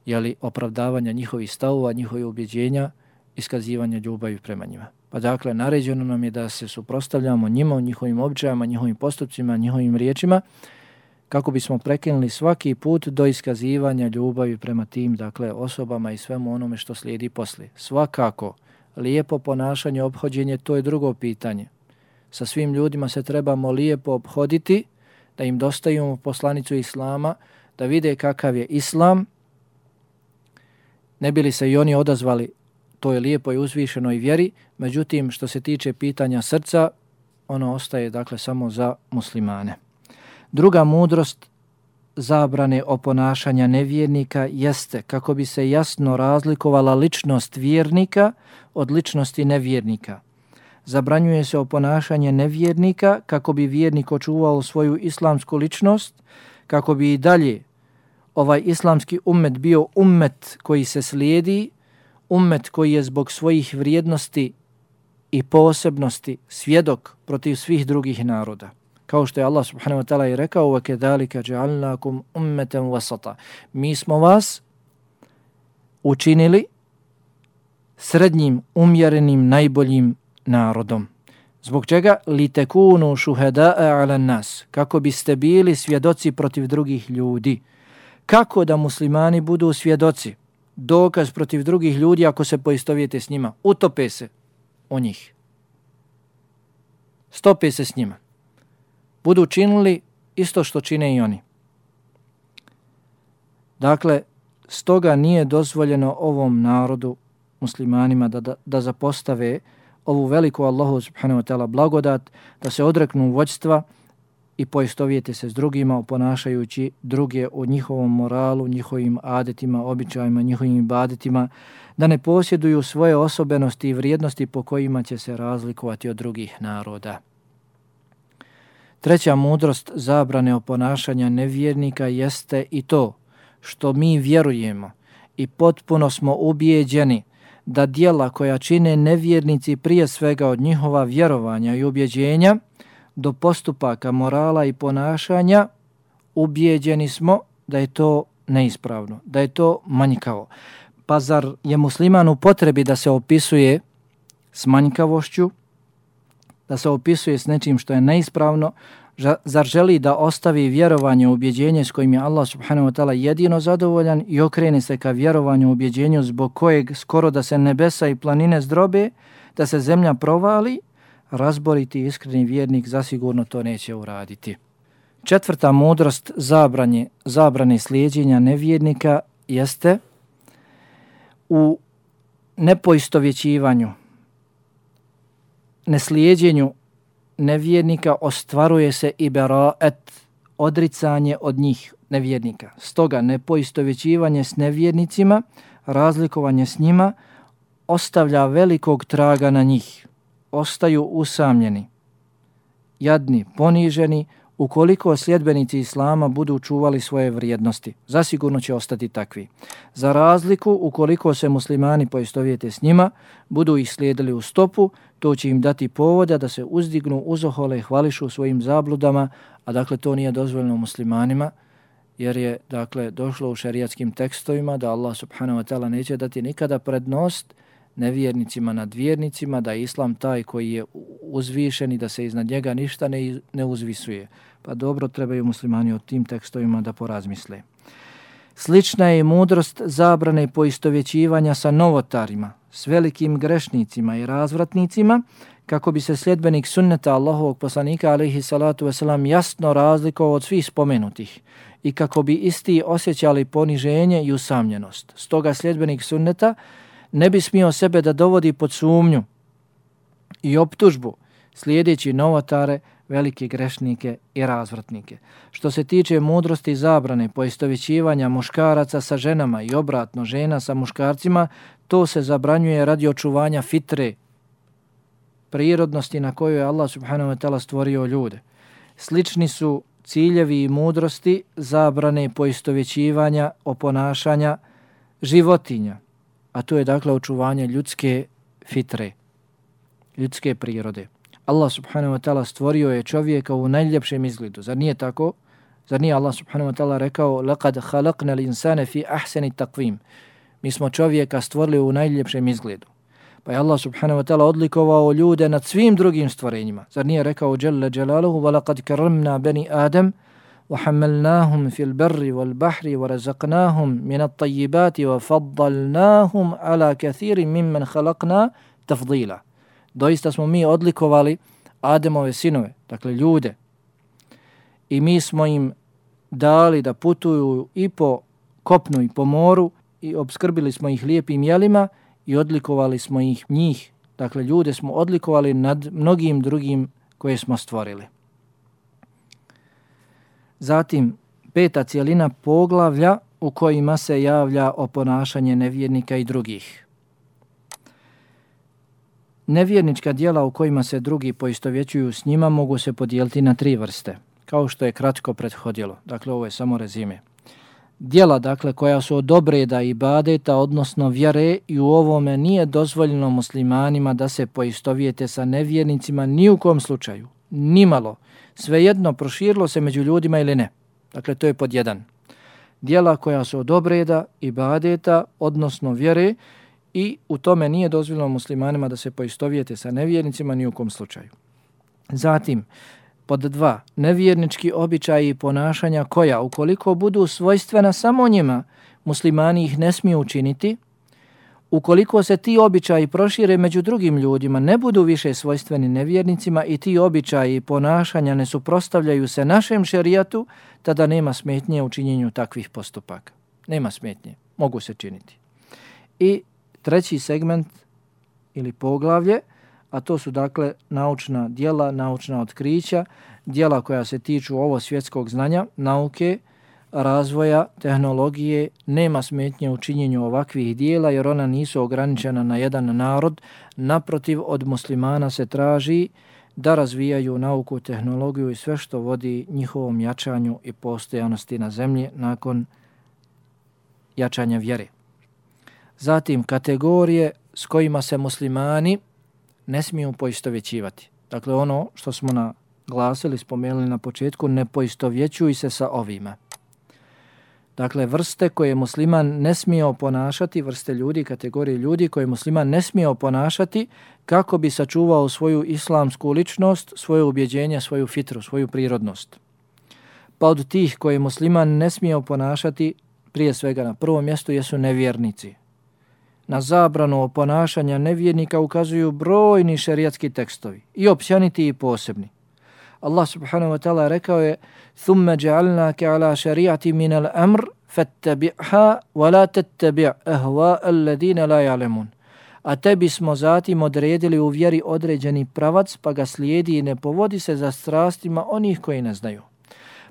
jeli opravdavanja njihovih stavova, njihovih ubjeđenja, iskazivanja ljubavi prema njima. Pa dakle, naređeno nam je da se suprotstavljamo njima, njihovim običajima, njihovim postupcima, njihovim riječima, kako bismo prekinuli svaki put do iskazivanja ljubavi prema tim, dakle, osobama i svemu onome što slijedi poslije. Svakako, lijepo ponašanje, ophođenje, to je drugo pitanje. Sa svim ljudima se trebamo lijepo ophoditi, da im dostavimo poslanicu Islama, da vide kakav je Islam, ne bili se i oni odazvali toj lijepoj, uzvišenoj vjeri, međutim, što se tiče pitanja srca, ono ostaje, dakle, samo za muslimane. Druga mudrost zabrane oponašanja nevjernika jeste kako bi se jasno razlikovala ličnost vjernika od ličnosti nevjernika. Zabranjuje se oponašanje nevjernika kako bi vjernik očuvao svoju islamsku ličnost, kako bi i dalje ovaj islamski ummet bio ummet koji se slijedi, ummet koji je zbog svojih vrijednosti i posebnosti svjedok protiv svih drugih naroda. Kao što je Allah subhanahu wa ta'ala i rekao: وَكَذَلِكَ جَعَلْنَاكُمْ أُمَّةً وَسَطًا. Mi smo vas učinili srednjim, umjerenim, najboljim narodom. Zbog čega? لِتَكُونُوا شُهَدَاءَ عَلَى النَّاسِ. Kako biste bili svjedoci protiv drugih ljudi. Kako da muslimani budu svjedoci? Dokaz protiv drugih ljudi ako se poistovijete s njima. Utope se o njih. Stope se s njima. Budu činili isto što čine i oni. Dakle, stoga nije dozvoljeno ovom narodu, muslimanima, da zapostave ovu veliku Allahu subhanahu wa ta'ala blagodat, da se odreknu vođstva i poistovijete se s drugima, oponašajući druge u njihovom moralu, njihovim adetima, običajima, njihovim ibadetima, da ne posjeduju svoje osobenosti i vrijednosti po kojima će se razlikovati od drugih naroda. Treća mudrost zabrane oponašanja nevjernika jeste i to što mi vjerujemo i potpuno smo ubijeđeni da djela koja čine nevjernici prije svega od njihova vjerovanja i ubjeđenja do postupaka morala i ponašanja, ubijeđeni smo da je to neispravno, da je to manjkavo. Pa zar je musliman u potrebi da se opisuje s manjkavošću, da se opisuje s nečim što je neispravno, Zar želi da ostavi vjerovanje u ubjeđenje s kojim je Allah subhanahu wa ta'ala jedino zadovoljan i okrene se ka vjerovanju u ubjeđenju zbog kojeg skoro da se nebesa i planine zdrobe, da se zemlja provali, razboriti iskreni vjernik zasigurno to neće uraditi. Četvrta mudrost zabrane slijedjenja nevjernika jeste u nepoistovjećivanju, neslijedjenju nevjernika ostvaruje se i beraet, odricanje od njih nevjernika. Stoga nepoistovjećivanje s nevjernicima, razlikovanje s njima, ostavlja velikog traga na njih. Ostaju usamljeni, jadni, poniženi, ukoliko sljedbenici Islama budu čuvali svoje vrijednosti. Zasigurno će ostati takvi. Za razliku, ukoliko se muslimani poistovjete s njima, budu ih slijedili u stopu, to će im dati povoda da se uzdignu, uzohole i hvališu svojim zabludama, a dakle to nije dozvoljeno muslimanima, jer je dakle došlo u šerijatskim tekstovima da Allah subhanahu wa ta'ala neće dati nikada prednost nevjernicima nad vjernicima, da je Islam taj koji je uzvišen i da se iznad njega ništa ne uzvisuje. Pa dobro, trebaju muslimani o tim tekstovima da porazmisle. Slična je i mudrost zabrane poistovjećivanja sa novotarima, s velikim grešnicima i razvratnicima, kako bi se sljedbenik sunneta Allahovog poslanika alejhi salatu vesselam jasno razlikovao od svih spomenutih i kako bi isti osjećali poniženje i usamljenost. Stoga sljedbenik sunneta ne bi smio sebe da dovodi pod sumnju i optužbu slijedeći novotare, velike grešnike i razvratnike. Što se tiče mudrosti zabrane poistovjećivanja muškaraca sa ženama i obratno žena sa muškarcima, to se zabranjuje radi očuvanja fitre, prirodnosti na kojoj je Allah subhanahu wa ta'ala stvorio ljude. Slični su ciljevi i mudrosti zabrane poistovjećivanja oponašanja životinja, a to je dakle očuvanje ljudske fitre, ljudske prirode. Allah subhanahu wa ta'ala stvorio je čovjeka u najljepšem izgledu. Zar nije tako? Zar nije Allah subhanahu wa ta'ala rekao لَقَدْ خَلَقْنَا الْإِنسَانَ فِي أَحْسَنِ تَقْوِيمِ? Mi smo čovjeka stvorili u najljepšem izgledu. Pa je Allah subhanahu wa ta'ala odlikovao ljude nad svim drugim stvorenjima. Zar nije rekao جَلَّ جَلَالُهُ وَلَقَدْ كَرَمْنَا بَنِي آدَمَ وَحَمَّلْنَاهُمْ فِي الْبَرِّ وَالْبَحْرِ وَرَزَقْنَاهُمْ مِنَ الطَّيِّبَاتِ وَفَضَّلْنَاهُمْ عَلَى كَثِيرٍ مِمَّنْ خَلَقْنَا تَفْضِيلًا. Doista smo mi odlikovali Ademove sinove, dakle ljude, i mi smo im dali da putuju i po kopnu i po moru i obskrbili smo ih lijepim jelima i odlikovali smo njih, dakle ljude smo odlikovali nad mnogim drugim koje smo stvorili. Zatim, peta cijelina poglavlja u kojima se javlja oponašanje nevjernika i drugih. Nevjernička djela u kojima se drugi poistovjećuju s njima mogu se podijeliti na 3 vrste, kao što je kratko prethodilo. Dakle, ovo je samo rezime. Djela, dakle, koja su od obreda i ibadeta, odnosno vjere, i u ovome nije dozvoljeno muslimanima da se poistovjete sa nevjernicima ni u kom slučaju, nimalo. Svejedno proširilo se među ljudima ili ne. Dakle, to je pod 1. Djela koja su od obreda, ibadeta, odnosno vjere, i u tome nije dozvoljeno muslimanima da se poistovjete sa nevjernicima ni u kom slučaju. Zatim, pod 2, nevjernički običaji i ponašanja koja, ukoliko budu svojstvena samo njima, muslimani ih ne smiju učiniti. Ukoliko se ti običaji prošire među drugim ljudima, ne budu više svojstveni nevjernicima i ti običaji i ponašanja ne suprotstavljaju se našem šerijatu, tada nema smetnje u činjenju takvih postupaka. Nema smetnje, mogu se činiti. I 3. segment ili poglavlje, a to su dakle naučna djela, naučna otkrića, djela koja se tiču ovo svjetskog znanja, nauke, razvoja, tehnologije. Nema smetnje u činjenju ovakvih djela jer ona nisu ograničena na jedan narod. Naprotiv, od muslimana se traži da razvijaju nauku, tehnologiju i sve što vodi njihovom jačanju i postojanosti na zemlji nakon jačanja vjere. Zatim, kategorije s kojima se muslimani ne smiju poistovjećivati. Dakle, ono što smo naglasili, spomenuli na početku, ne poistovjećuj se sa ovima. Dakle, vrste koje musliman ne smije oponašati, vrste ljudi, kategorije ljudi koje musliman ne smije oponašati kako bi sačuvao svoju islamsku ličnost, svoje ubjeđenje, svoju fitru, svoju prirodnost. Pa od tih koje musliman ne smije oponašati, prije svega na prvom mjestu jesu nevjernici. Na zabranu oponašanja nevjernika ukazuju brojni šerijatski tekstovi, i općeniti i posebni. Allah subhanahu wa ta'ala rekao je ثُمَّ جَعَلْنَاكَ عَلَى شَرِيعَةٍ مِنَ الْأَمْرِ فَاتَّبِعْهَا وَلَا تَتَّبِعْ أَهْوَاءَ الَّذِينَ لَا يَعْلَمُونَ. A tebi smo zatim odredili u vjeri određeni pravac, pa ga slijedi i ne povodi se za strastima onih koji ne znaju.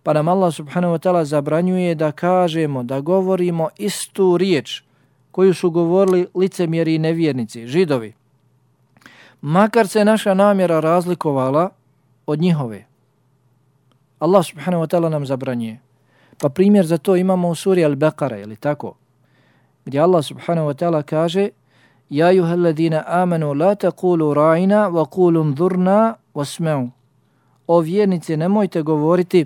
Pa nam Allah subhanahu wa ta'ala zabranjuje da kažemo, da govorimo istu riječ koju su govorili licemjeri i nevjernici, židovi. Makar se naša namjera razlikovala od njihove. Allah subhanahu wa ta'ala nam zabranjuje. Pa primjer za to imamo u suri Al-Baqara, je li tako? Gdje Allah subhanahu wa ta'ala kaže Ja ayyuhalladhina amanu la taqulu ra'ina wa qulu unzurna wasma'u. O vjernici, nemojte govoriti,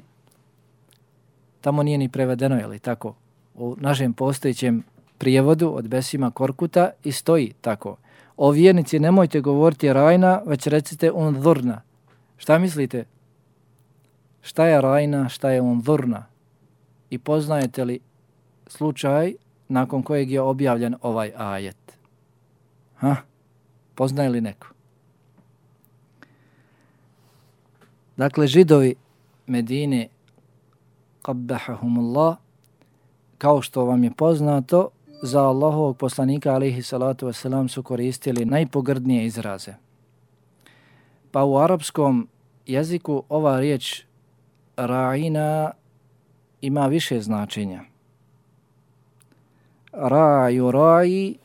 tamo nije ni prevedeno, je li tako? U našem postojećem prijevodu od Besima Korkuta i stoji tako. O vjernici, nemojte govoriti ra'ina, već recite unzurna. Šta mislite? Šta je ra'ina, šta je unzurna? I poznajete li slučaj nakon kojeg je objavljen ovaj ajet? Poznaje li neko? Dakle, židovi Medine, qabbahahumullah, kao što vam je poznato, za Allahovog poslanika alejhi salatu vesselam su koristili najpogrdnije izraze. Pa u arapskom jeziku ova riječ ra'ina ima više značenja. Ra'ju ra'i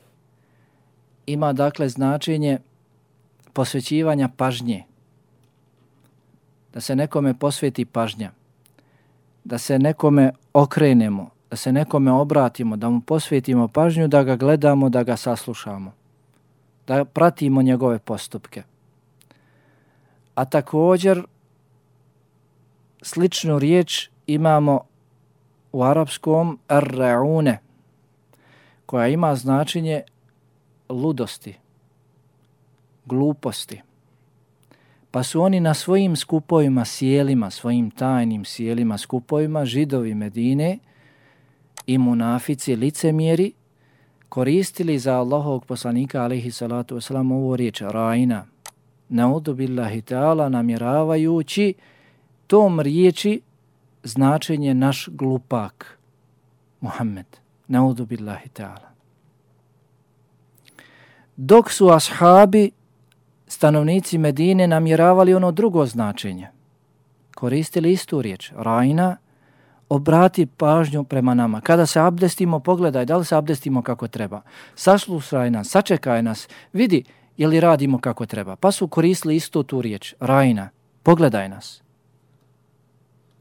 ima dakle značenje posvećivanja pažnje. Da se nekome posveti pažnja. Da se nekome okrenemo, da se nekome obratimo, da mu posvetimo pažnju, da ga gledamo, da ga saslušamo. Da pratimo njegove postupke. A također sličnu riječ imamo u arapskom ar-ra'une, koja ima značenje ludosti, gluposti. Pa su oni na svojim skupovima, sjelima, svojim tajnim sjelima, skupovima, židovi Medine i munafici, licemjeri, koristili za Allahovog poslanika alejhi salatu vesselam ovu riječ ra'ina, na'udhu billahi ta'ala, namjeravajući tom riječi značenje naš glupak Muhammed, na'udhu billahi ta'ala. Dok su ashabi, stanovnici Medine, namjeravali ono drugo značenje. Koristili istu riječ, ra'ina, obrati pažnju prema nama. Kada se abdestimo, pogledaj da li se abdestimo kako treba. Saslušaj nas, sačekaj nas, vidi je li radimo kako treba. Pa su koristili istu tu riječ, ra'ina, pogledaj nas.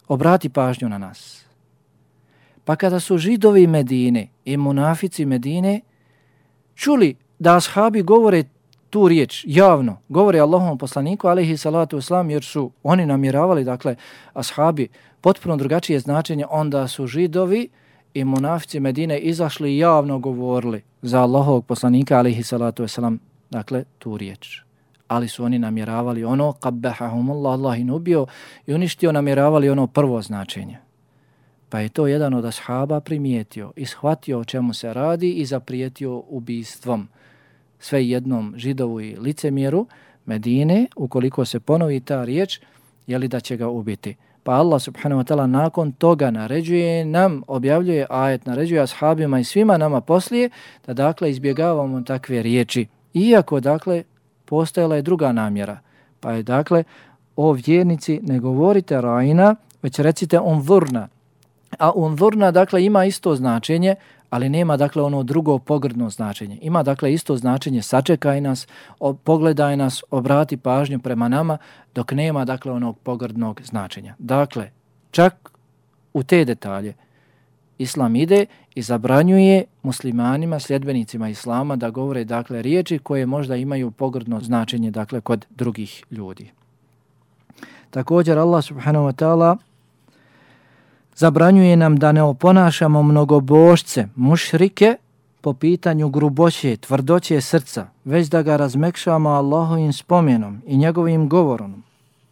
Obrati pažnju na nas. Pa kada su židovi Medine i munafici Medine čuli da ashabi govore tu riječ javno, govore Allahovom poslaniku alejhi salatu vesselam, jer su oni namjeravali, dakle, ashabi potpuno drugačije značenje, onda su židovi i munafici Medine izašli i javno govorili za Allahovog poslanika alejhi salatu vesselam, dakle, tu riječ. Ali su oni namjeravali ono, qabbahahumullah, Allah in ubio i uništio, namjeravali ono prvo značenje. Pa je to jedan od ashaba primijetio i shvatio o čemu se radi i zaprijetio ubistvom sve jednom židovu i licemjeru Medine, ukoliko se ponovi ta riječ, jeli da će ga ubiti. Pa Allah subhanahu wa ta'ala nakon toga naređuje nam, objavljuje ajet, naređuje ashabima i svima nama poslije, da dakle izbjegavamo takve riječi. Iako dakle postojala je druga namjera. Pa je dakle, o vjernici, ne govorite ra'ina, već recite unzurna. A unzurna dakle ima isto značenje, ali nema dakle ono drugo pogrdno značenje. Ima dakle isto značenje, sačekaj nas, pogledaj nas, obrati pažnju prema nama, dok nema dakle onog pogrdnog značenja. Dakle, čak u te detalje Islam ide i zabranjuje muslimanima, sljedbenicima Islama da govore dakle riječi koje možda imaju pogrdno značenje dakle kod drugih ljudi. Također Allah subhanahu wa ta'ala Zabranjuje nam da ne oponašamo mnogobožce, mušrike, po pitanju gruboće, tvrdoće srca, već da ga razmekšamo Allahovim spomenom i njegovim govorom.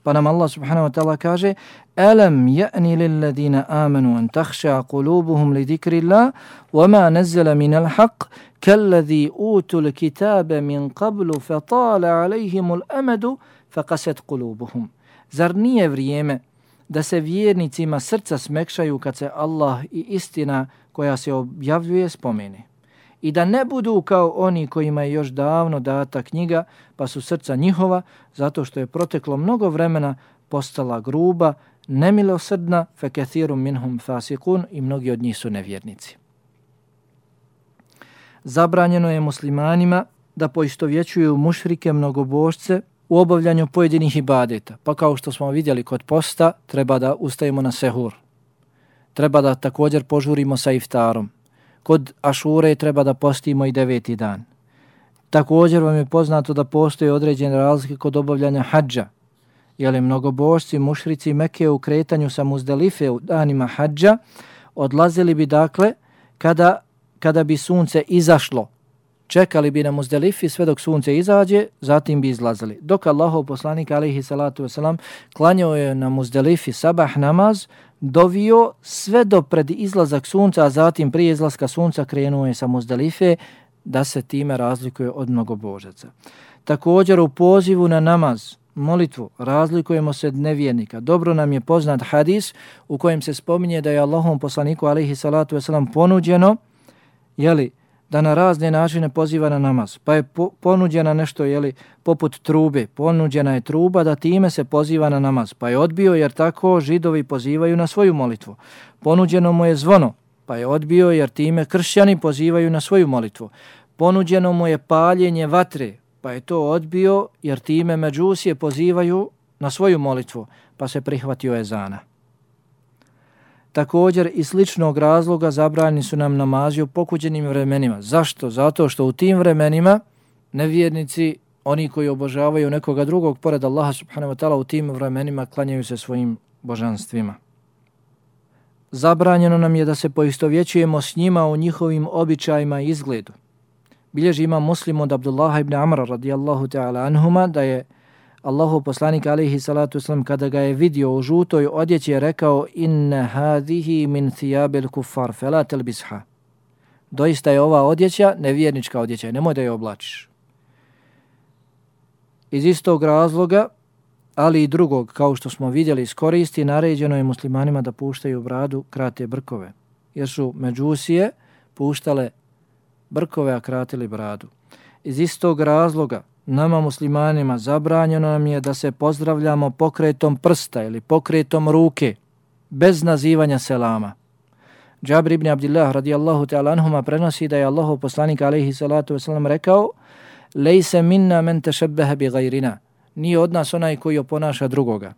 Pa nam Allah subhanahu wa ta'ala kaže: Alam ya'ni lil ladina amanu an takhsha qulubuhum li dhikrillah wa ma nazzala min al-haqq kalladhi utul kitaba min qablu fatala alayhim al-amadu faqasat qulubuhum. Zar nije vrijeme da se vjernicima srca smekšaju kad se Allah i istina koja se objavljuje spomene? I da ne budu kao oni kojima je još davno data knjiga, pa su srca njihova, zato što je proteklo mnogo vremena, postala gruba, nemilosrdna, fekathirum minhum fasikun, i mnogi od njih su nevjernici. Zabranjeno je muslimanima da poistovjećuju mušrike mnogobožce u obavljanju pojedinih ibadeta, pa kao što smo vidjeli kod posta, treba da ustajemo na sehur. Treba da također požurimo sa iftarom. Kod Ašure treba da postimo i 9. dan. Također vam je poznato da postoje određene razlike kod obavljanja hadža. Jer mnogobožci, mušrici Mekke u kretanju sa Muzdelife u danima hadža odlazili bi dakle kada bi sunce izašlo. Čekali bi na Muzdelifi sve dok sunce izađe, zatim bi izlazili. Dok Allahov poslanik alejhi salatu vesselam klanjao je na Muzdelifi sabah namaz, dovio sve do pred izlazak sunca, a zatim prije izlaska sunca krenuo je sa Muzdelife, da se time razlikuje od mnogobožaca. Također u pozivu na namaz, molitvu, razlikujemo se od nevjernika. Dobro nam je poznat hadis u kojem se spominje da je Allahovom poslaniku alejhi salatu vesselam ponuđeno, da na razne načine poziva na namaz. Pa je ponuđena nešto, poput trube. Ponuđena je truba da time se poziva na namaz. Pa je odbio jer tako Židovi pozivaju na svoju molitvu. Ponuđeno mu je zvono. Pa je odbio jer time kršćani pozivaju na svoju molitvu. Ponuđeno mu je paljenje vatre. Pa je to odbio jer time Međusije pozivaju na svoju molitvu. Pa se prihvatio ezana. Također iz sličnog razloga zabranjeni su nam namazi u pokuđenim vremenima. Zašto? Zato što u tim vremenima nevjernici, oni koji obožavaju nekoga drugog pored Allaha subhanahu wa ta'ala, u tim vremenima klanjaju se svojim božanstvima. Zabranjeno nam je da se poistovjećujemo s njima u njihovim običajima i izgledu. Bilježi Imam Muslim od Abdullaha ibn Amra radijallahu ta'ala anhuma da je Allahov poslanik alejhi salatu vesselam kada ga je vidio u žutoj odjeći je rekao: inna hadihi min thiyabil kuffar fala talbisha. Doista je ova odjeća nevjernička odjeća, nemoj da je oblačiš. Iz istog razloga, ali i drugog, kao što smo vidjeli iz koristi, naređeno je muslimanima da puštaju bradu, krate brkove, jer su Međusije puštale brkove, a kratili bradu. Iz istog razloga nama muslimanima zabranjeno nam je da se pozdravljamo pokretom prsta ili pokretom ruke, bez nazivanja selama. Džabir ibn Abdillah radijallahu ta'ala anhuma prenosi da je Allahov poslanik alejhi salatu vesselam rekao: lejse minna men tešebbehe bi gajrina. Nije od nas onaj koji oponaša drugoga.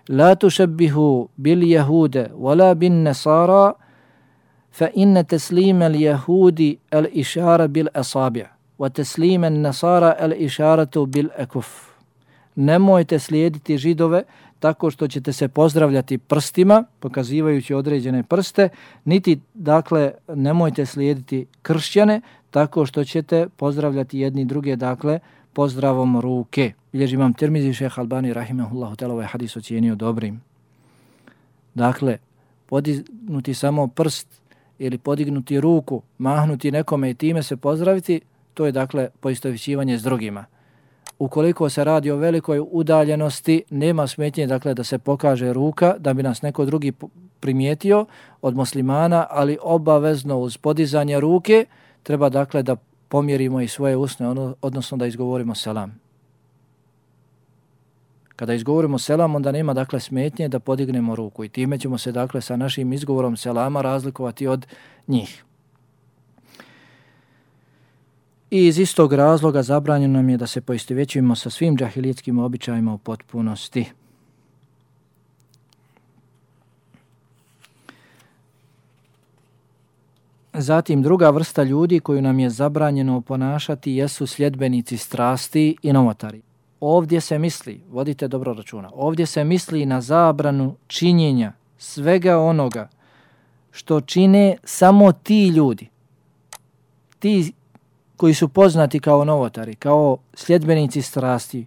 La tušebbihu bil jehude wala bin nesara fa inne teslime al jehudi al išara bil asabi' wa teslime nesara al išaratu bil ekuf. Nemojte slijediti Židove tako što ćete se pozdravljati prstima, pokazivajući određene prste, niti, dakle, nemojte slijediti kršćane tako što ćete pozdravljati jedni druge, dakle, pozdravom ruke. Bilježi Imam Tirmizi, šejh Albani rahimehullahu ta'ala ovaj hadis ocijenio dobrim. Dakle, podignuti samo prst ili podignuti ruku, mahnuti nekome i time se pozdraviti, to je, dakle, poistovjećivanje s drugima. Ukoliko se radi o velikoj udaljenosti, nema smetnje, dakle, da se pokaže ruka, da bi nas neko drugi primijetio od muslimana, ali obavezno uz podizanje ruke treba, dakle, da pomjerimo i svoje usne, odnosno da izgovorimo selam. Kada izgovorimo selam, onda nema, dakle, smetnje da podignemo ruku i time ćemo se, dakle, sa našim izgovorom selama razlikovati od njih. I iz istog razloga zabranjeno nam je da se poistovjećujemo sa svim džahilijeskim običajima u potpunosti. Zatim druga vrsta ljudi koju nam je zabranjeno ponašati jesu sljedbenici strasti i novotari. Ovdje se misli, vodite dobro računa, ovdje se misli na zabranu činjenja svega onoga što čine samo ti ljudi, ti koji su poznati kao novotari, kao sljedbenici strasti,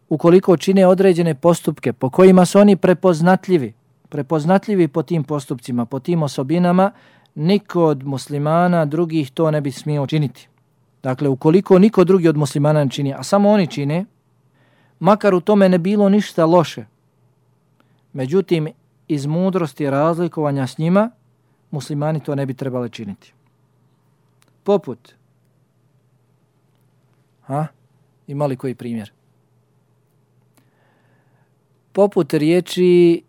ukoliko čine određene postupke po kojima su oni prepoznatljivi po tim postupcima, po tim osobinama, niko od muslimana drugih to ne bi smio činiti. Dakle, ukoliko niko drugi od muslimana ne čini, a samo oni čine, makar u tome ne bilo ništa loše, međutim, iz mudrosti razlikovanja s njima, muslimani to ne bi trebali činiti. Poput, ima li koji primjer? Poput riječi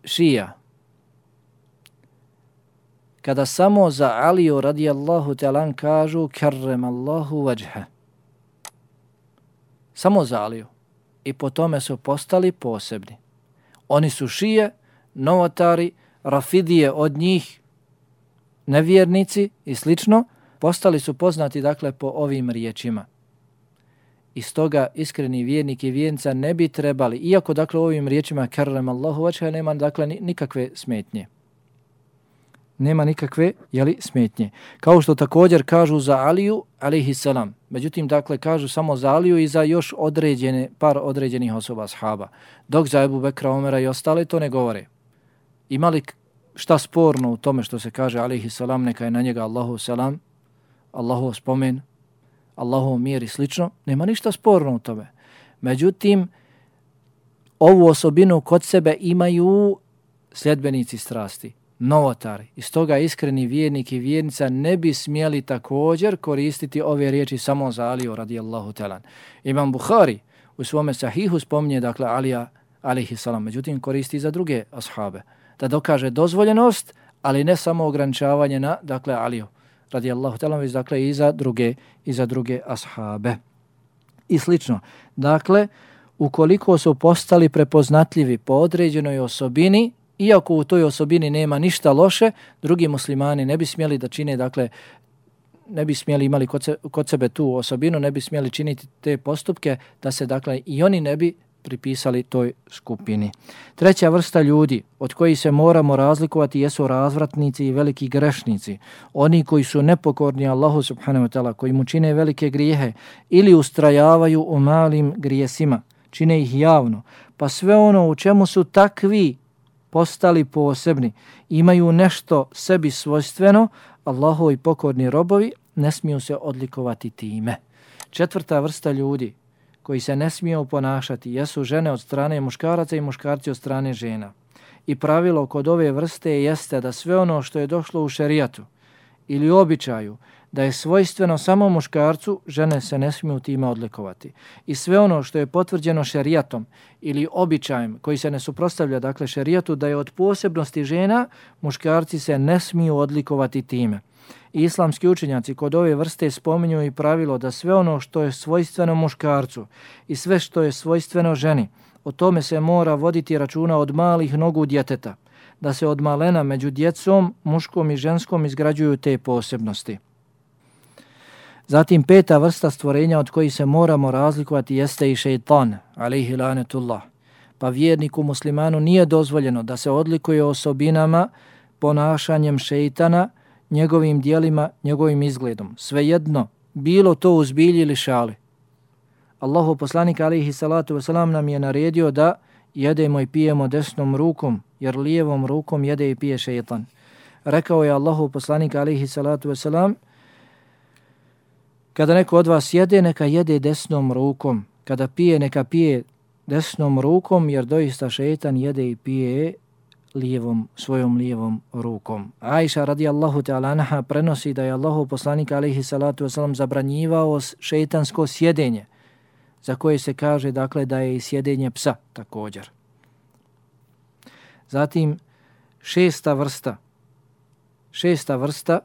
šija. Kada samo za Aliju radijallahu ta'ala kažu karrem Allahu vajha. Samo za Aliju. I po tome su postali posebni. Oni su šije, novotari, rafidije od njih, nevjernici i slično, postali su poznati dakle po ovim riječima. I stoga iskreni vjernik i vjernica ne bi trebali, iako dakle u ovim riječima karrem Allahu vajha nema dakle nikakve smetnje. Nema nikakve smetnje. Kao što također kažu za Aliju alejhi selam. Međutim, dakle, kažu samo za Aliju i za još par određenih osoba ashaba. Dok za Ebu Bekra, Omera i ostale to ne govore. Ima li šta sporno u tome što se kaže alejhi selam, neka je na njega Allahu selam, Allahu spomen, Allahu mir i slično? Nema ništa sporno u tome. Međutim, ovu osobinu kod sebe imaju sljedbenici strasti, novotari. I stoga iskreni vjernik i vjernica ne bi smjeli također koristiti ove riječi samo za Aliju radijallahu ta'ala. Imam Buhari u svome sahihu spominje dakle Alija alejhi selam, međutim koristi za druge ashabe da dokaže dozvoljenost, ali ne samo ograničavanje na dakle Aliju radijallahu ta'ala, već dakle i za druge ashabe. I slično. Dakle, ukoliko su postali prepoznatljivi po određenoj osobini, iako u toj osobini nema ništa loše, drugi muslimani ne bi smjeli da čine, dakle, ne bi smjeli imali kod sebe tu osobinu, ne bi smjeli činiti te postupke, da se, dakle, i oni ne bi pripisali toj skupini. Treća vrsta ljudi od kojih se moramo razlikovati jesu razvratnici i veliki grešnici. Oni koji su nepokorni Allahu subhanahu wa ta'ala, koji mu čine velike grijehe ili ustrajavaju u malim grijesima, čine ih javno, pa sve ono u čemu su takvi postali posebni, imaju nešto sebi svojstveno, Allahovi pokorni robovi ne smiju se odlikovati time. Četvrta vrsta ljudi koji se ne smiju ponašati jesu žene od strane muškaraca i muškarci od strane žena. I pravilo kod ove vrste jeste da sve ono što je došlo u šerijatu ili običaju da je svojstveno samo muškarcu, žene se ne smiju time odlikovati. I sve ono što je potvrđeno šerijatom ili običajem koji se ne suprotstavlja dakle šerijatu da je od posebnosti žena, muškarci se ne smiju odlikovati time. I islamski učenjaci kod ove vrste spominju i pravilo da sve ono što je svojstveno muškarcu i sve što je svojstveno ženi, o tome se mora voditi računa od malih nogu djeteta, da se od malena među djecom, muškom i ženskom izgrađuju te posebnosti. Zatim peta vrsta stvorenja od kojih se moramo razlikovati jeste i šejtan, alejhi lanetullah. Pa vjerniku muslimanu nije dozvoljeno da se odlikuje osobinama, ponašanjem šejtana, njegovim dijelima, njegovim izgledom. Svejedno, bilo to u zbilji ili šali. Allahu poslanik alejhi salatu vesselam nam je naredio da jedemo i pijemo desnom rukom, jer lijevom rukom jede i pije šejtan. Rekao je Allahu poslanik alejhi salatu vesselam: kada neko od vas jede, neka jede desnom rukom. Kada pije, neka pije desnom rukom, jer doista šejtan jede i pije svojom lijevom rukom. Ajša radijallahu ta'ala anha prenosi da je Allahu poslanik alejhi salatu vesselam zabranjivao šejtansko sjedenje, za koje se kaže dakle da je i sjedenje psa također. Zatim šesta vrsta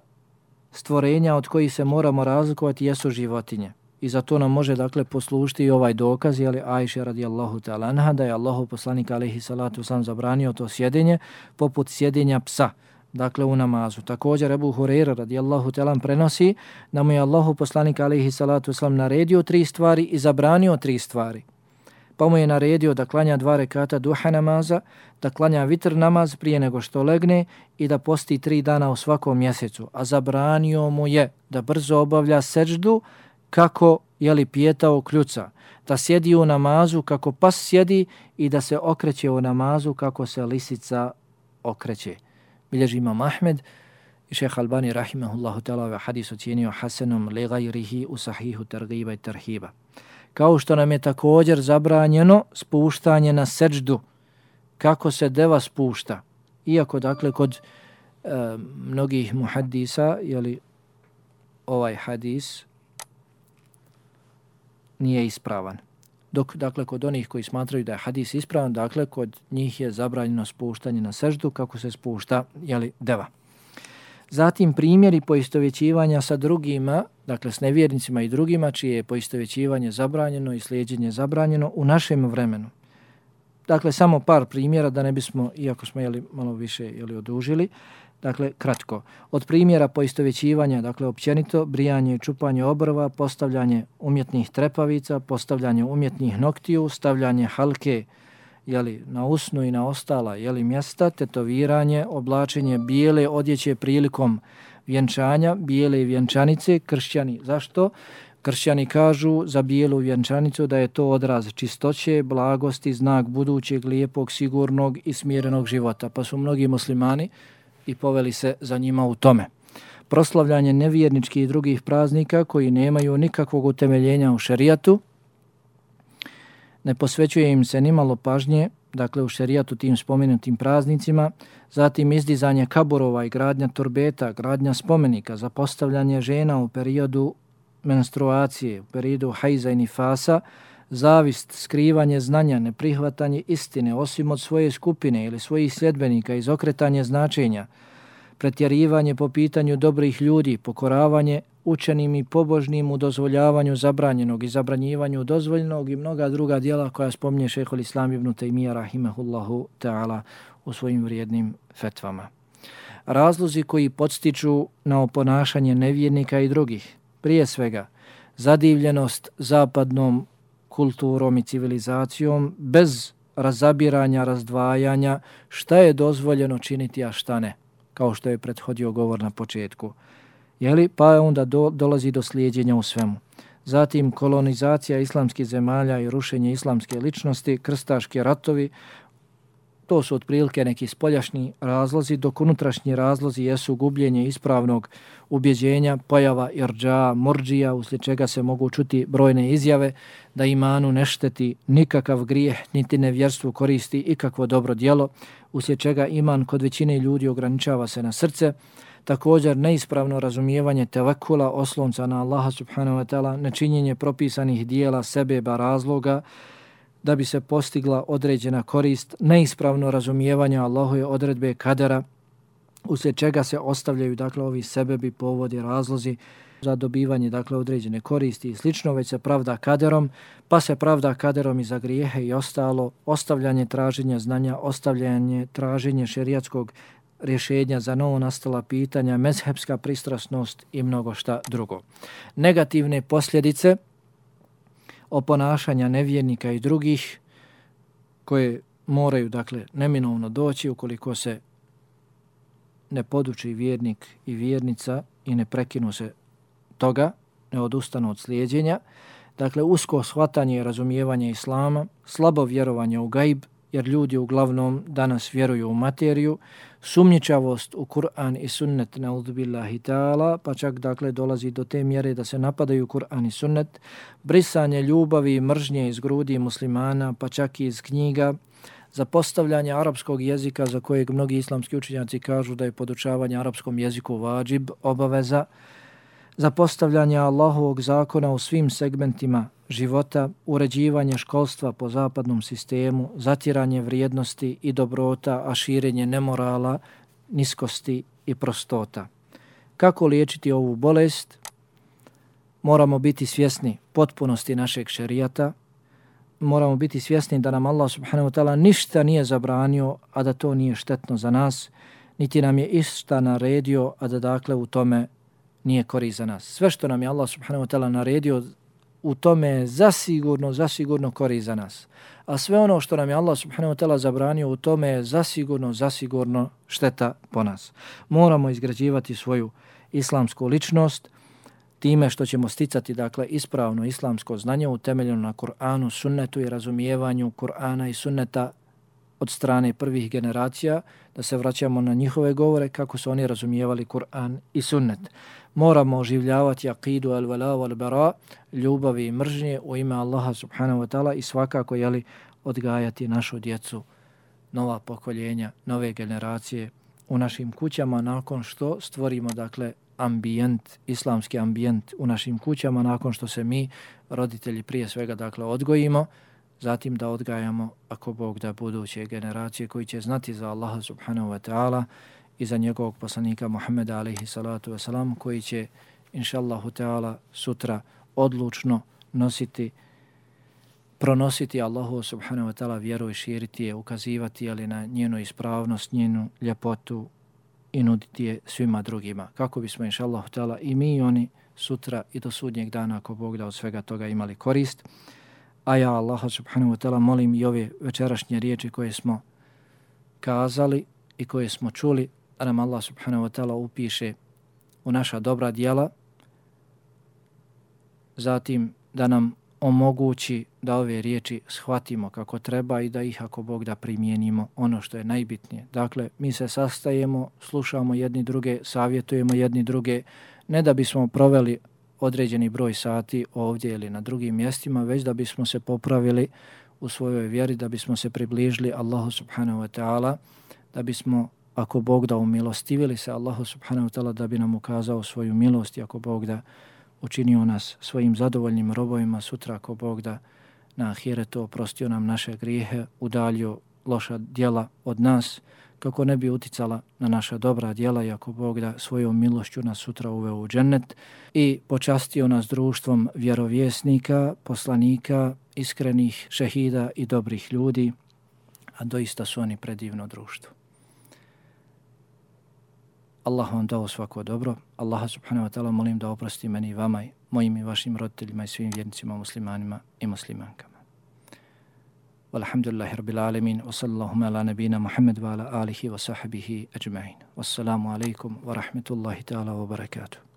stvorenja od kojih se moramo razlikovati jesu životinje. I za to nam može dakle poslužiti i ovaj dokaz, jeli Ajša radijallahu ta'ala anha, da je Allahu poslanik alejhi salatu vesselam zabranio to sjedenje poput sjedenja psa, dakle u namazu. Također Ebu Hurajra radijallahu ta'ala prenosi da mu je Allahu poslanik alejhi salatu vesselam naredio 3 stvari i zabranio 3 stvari. pa mu je naredio da klanja 2 rekata duha namaza, da klanja vitr namaz prije nego što legne i da posti 3 dana u svakom mjesecu. A zabranio mu je da brzo obavlja seđdu kako pijetao kljuca, da sjedi u namazu kako pas sjedi i da se okreće u namazu kako se lisica okreće. Bilježi Imam Ahmed i šejh Albani rahimahullahu ta'ala ovaj hadis ocijenio hasanom li gajrihi u sahihu targiba i tarhiba. Kao što nam je također zabranjeno spuštanje na seđdu, kako se deva spušta. Iako, dakle, kod mnogih muhaddisa, ovaj hadis nije ispravan. Dok, dakle, kod onih koji smatraju da je hadis ispravan, dakle, kod njih je zabranjeno spuštanje na seždu kako se spušta, deva. Zatim primjeri poistovjećivanja sa drugima, dakle, s nevjernicima i drugima, čije je poistovjećivanje zabranjeno i slijedjenje zabranjeno u našem vremenu. Dakle, samo par primjera da ne bismo, iako smo malo više odužili, dakle, kratko. Od primjera poistovjećivanja, dakle, općenito, brijanje i čupanje obrva, postavljanje umjetnih trepavica, postavljanje umjetnih noktiju, stavljanje halke na usnu i na ostala mjesta, tetoviranje, oblačenje bijele odjeće prilikom vjenčanja, bijele vjenčanice, kršćani. Zašto? Kršćani kažu za bijelu vjenčanicu da je to odraz čistoće, blagosti, znak budućeg, lijepog, sigurnog i smirenog života. Pa su mnogi muslimani i poveli se za njima u tome. Proslavljanje nevjerničkih i drugih praznika koji nemaju nikakvog utemeljenja u šerijatu, ne posvećuje im se nimalo pažnje, dakle u šerijatu tim spomenutim praznicima, zatim izdizanje kaburova i gradnja turbeta, gradnja spomenika, zapostavljanje žena u periodu menstruacije, u periodu hajza i nifasa, zavist, skrivanje znanja, neprihvatanje istine osim od svoje skupine ili svojih sljedbenika, izokretanje značenja, pretjerivanje po pitanju dobrih ljudi, pokoravanje učenim i pobožnim u dozvoljavanju zabranjenog i zabranjivanju dozvoljenog i mnoga druga djela koja spominje šejhul Islam ibn Tejmija rahimahullahu ta'ala u svojim vrijednim fetvama. Razlozi koji podstiču na oponašanje nevjernika i drugih, prije svega zadivljenost zapadnom kulturom i civilizacijom bez razabiranja, razdvajanja šta je dozvoljeno činiti, a šta ne, kao što je prethodio govor na početku. Pa onda dolazi do slijedjenja u svemu. Zatim kolonizacija islamskih zemalja i rušenje islamske ličnosti, krstaški ratovi, to su otprilike neki spoljašnji razlozi, dok unutrašnji razlozi jesu gubljenje ispravnog ubjeđenja, pojava irđa, murdžija, uslijed čega se mogu čuti brojne izjave da imanu ne šteti nikakav grijeh, niti nevjerstvu koristi ikakvo dobro djelo, uslijed čega iman kod većine ljudi ograničava se na srce. Također neispravno razumijevanje tevekula, oslonca na Allaha subhanahu wa ta'ala, nečinjenje propisanih dijela, sebeba, razloga, da bi se postigla određena korist, neispravno razumijevanje Allahove odredbe kadera, uslijed čega se ostavljaju ovi sebebi, povodi, razlozi za dobivanje određene koristi i slično, već se pravda kaderom, pa se pravda kaderom i za grijehe i ostalo, ostavljanje traženja znanja, ostavljanje traženja šerijatskog rješenja za novo nastala pitanja, mezhebska pristrasnost i mnogo šta drugo. Negativne posljedice oponašanja nevjernika i drugih koje moraju neminovno doći ukoliko se ne poduči vjernik i vjernica i ne prekinu se toga, ne odustanu od slijedjenja. Usko shvatanje i razumijevanje islama, slabo vjerovanje u gajb, jer ljudi uglavnom danas vjeruju u materiju, sumnjičavost u Kur'an i sunnet na'udhu billahi ta'ala, pa čak dolazi do te mjere da se napadaju Kur'an i sunnet, brisanje ljubavi i mržnje iz grudi muslimana, pa čak i iz knjiga, zapostavljanje arapskog jezika za kojeg mnogi islamski učenjaci kažu da je podučavanje arapskom jeziku vađib, obaveza, zapostavljanje Allahovog zakona u svim segmentima života, uređivanje školstva po zapadnom sistemu, zatiranje vrijednosti i dobrota, a širenje nemorala, niskosti i prostota. Kako liječiti ovu bolest? Moramo biti svjesni potpunosti našeg šerijata, moramo biti svjesni da nam Allah subhanahu wa ta'ala ništa nije zabranio, a da to nije štetno za nas, niti nam je išta naredio, a da u tome nije korist za nas. Sve što nam je Allah subhanahu wa ta'ala naredio u tome je zasigurno korist za nas. A sve ono što nam je Allah subhanahu wa ta'ala zabranio, u tome je zasigurno šteta po nas. Moramo izgrađivati svoju islamsku ličnost time što ćemo sticati dakle ispravno islamsko znanje utemeljeno na Kur'anu, sunnetu i razumijevanju Kur'ana i sunneta od strane prvih generacija, da se vraćamo na njihove govore kako su oni razumijevali Kur'an i sunnet. Moramo oživljavati akidu al-wala wal-bara, ljubavi i mržnje u ime Allaha subhanahu wa ta'ala i svakako odgajati našu djecu, nova pokoljenja, nove generacije u našim kućama nakon što stvorimo dakle ambijent, islamski ambijent u našim kućama, nakon što se mi, roditelji prije svega dakle odgojimo, zatim da odgajamo, ako Bog da, buduće generacije koji će znati za Allaha subhanahu wa ta'ala i za njegovog poslanika Muhammeda alaihi salatu wasalam, koji će inšallahu ta'ala sutra odlučno pronositi Allahu subhanahu wa ta'ala vjeru i širiti je, ukazivati ali na njenu ispravnost, njenu ljepotu i nuditi je svima drugima. Kako bismo inšallahu ta'ala i mi i oni sutra i do sudnjeg dana, ako Bog da, od svega toga imali korist. A ja Allaha subhanahu wa ta'ala molim i ove večerašnje riječi koje smo kazali i koje smo čuli, da nam Allah subhanahu wa ta'ala upiše u naša dobra djela, zatim da nam omogući da ove riječi shvatimo kako treba i da ih, ako Bog da, primijenimo ono što je najbitnije. Dakle, mi se sastajemo, slušamo jedni druge, savjetujemo jedni druge, ne da bismo proveli određeni broj sati ovdje ili na drugim mjestima, već da bismo se popravili u svojoj vjeri, da bismo se približili Allahu subhanahu wa ta'ala, da bismo, ako Bog da, umilostivili se Allahu subhanahu wa ta'ala, da bi nam ukazao svoju milost i ako Bog da, učinio nas svojim zadovoljnim robovima sutra, ako Bog da, na ahiretu oprostio nam naše grijehe, udaljio loša djela od nas, kako ne bi uticala na naša dobra djela i ako Bog da, svojom milošću nas sutra uveo u džennet i počastio nas društvom vjerovjesnika, poslanika, iskrenih šehida i dobrih ljudi, a doista su oni predivno društvo. Allah vam dao svako dobro. Allaha subhanahu wa ta'ala molim da oprosti meni i vama, mojim i vašim roditeljima i svim vjernicima, muslimanima i muslimankama. Walhamdulillahi rabbil alamin, wa sallallahu ala nabina Muhammad wa ala alihi wa sahbihi ajma'in. Wassalamu alaikum wa rahmetullahi ta'ala wa barakatuh.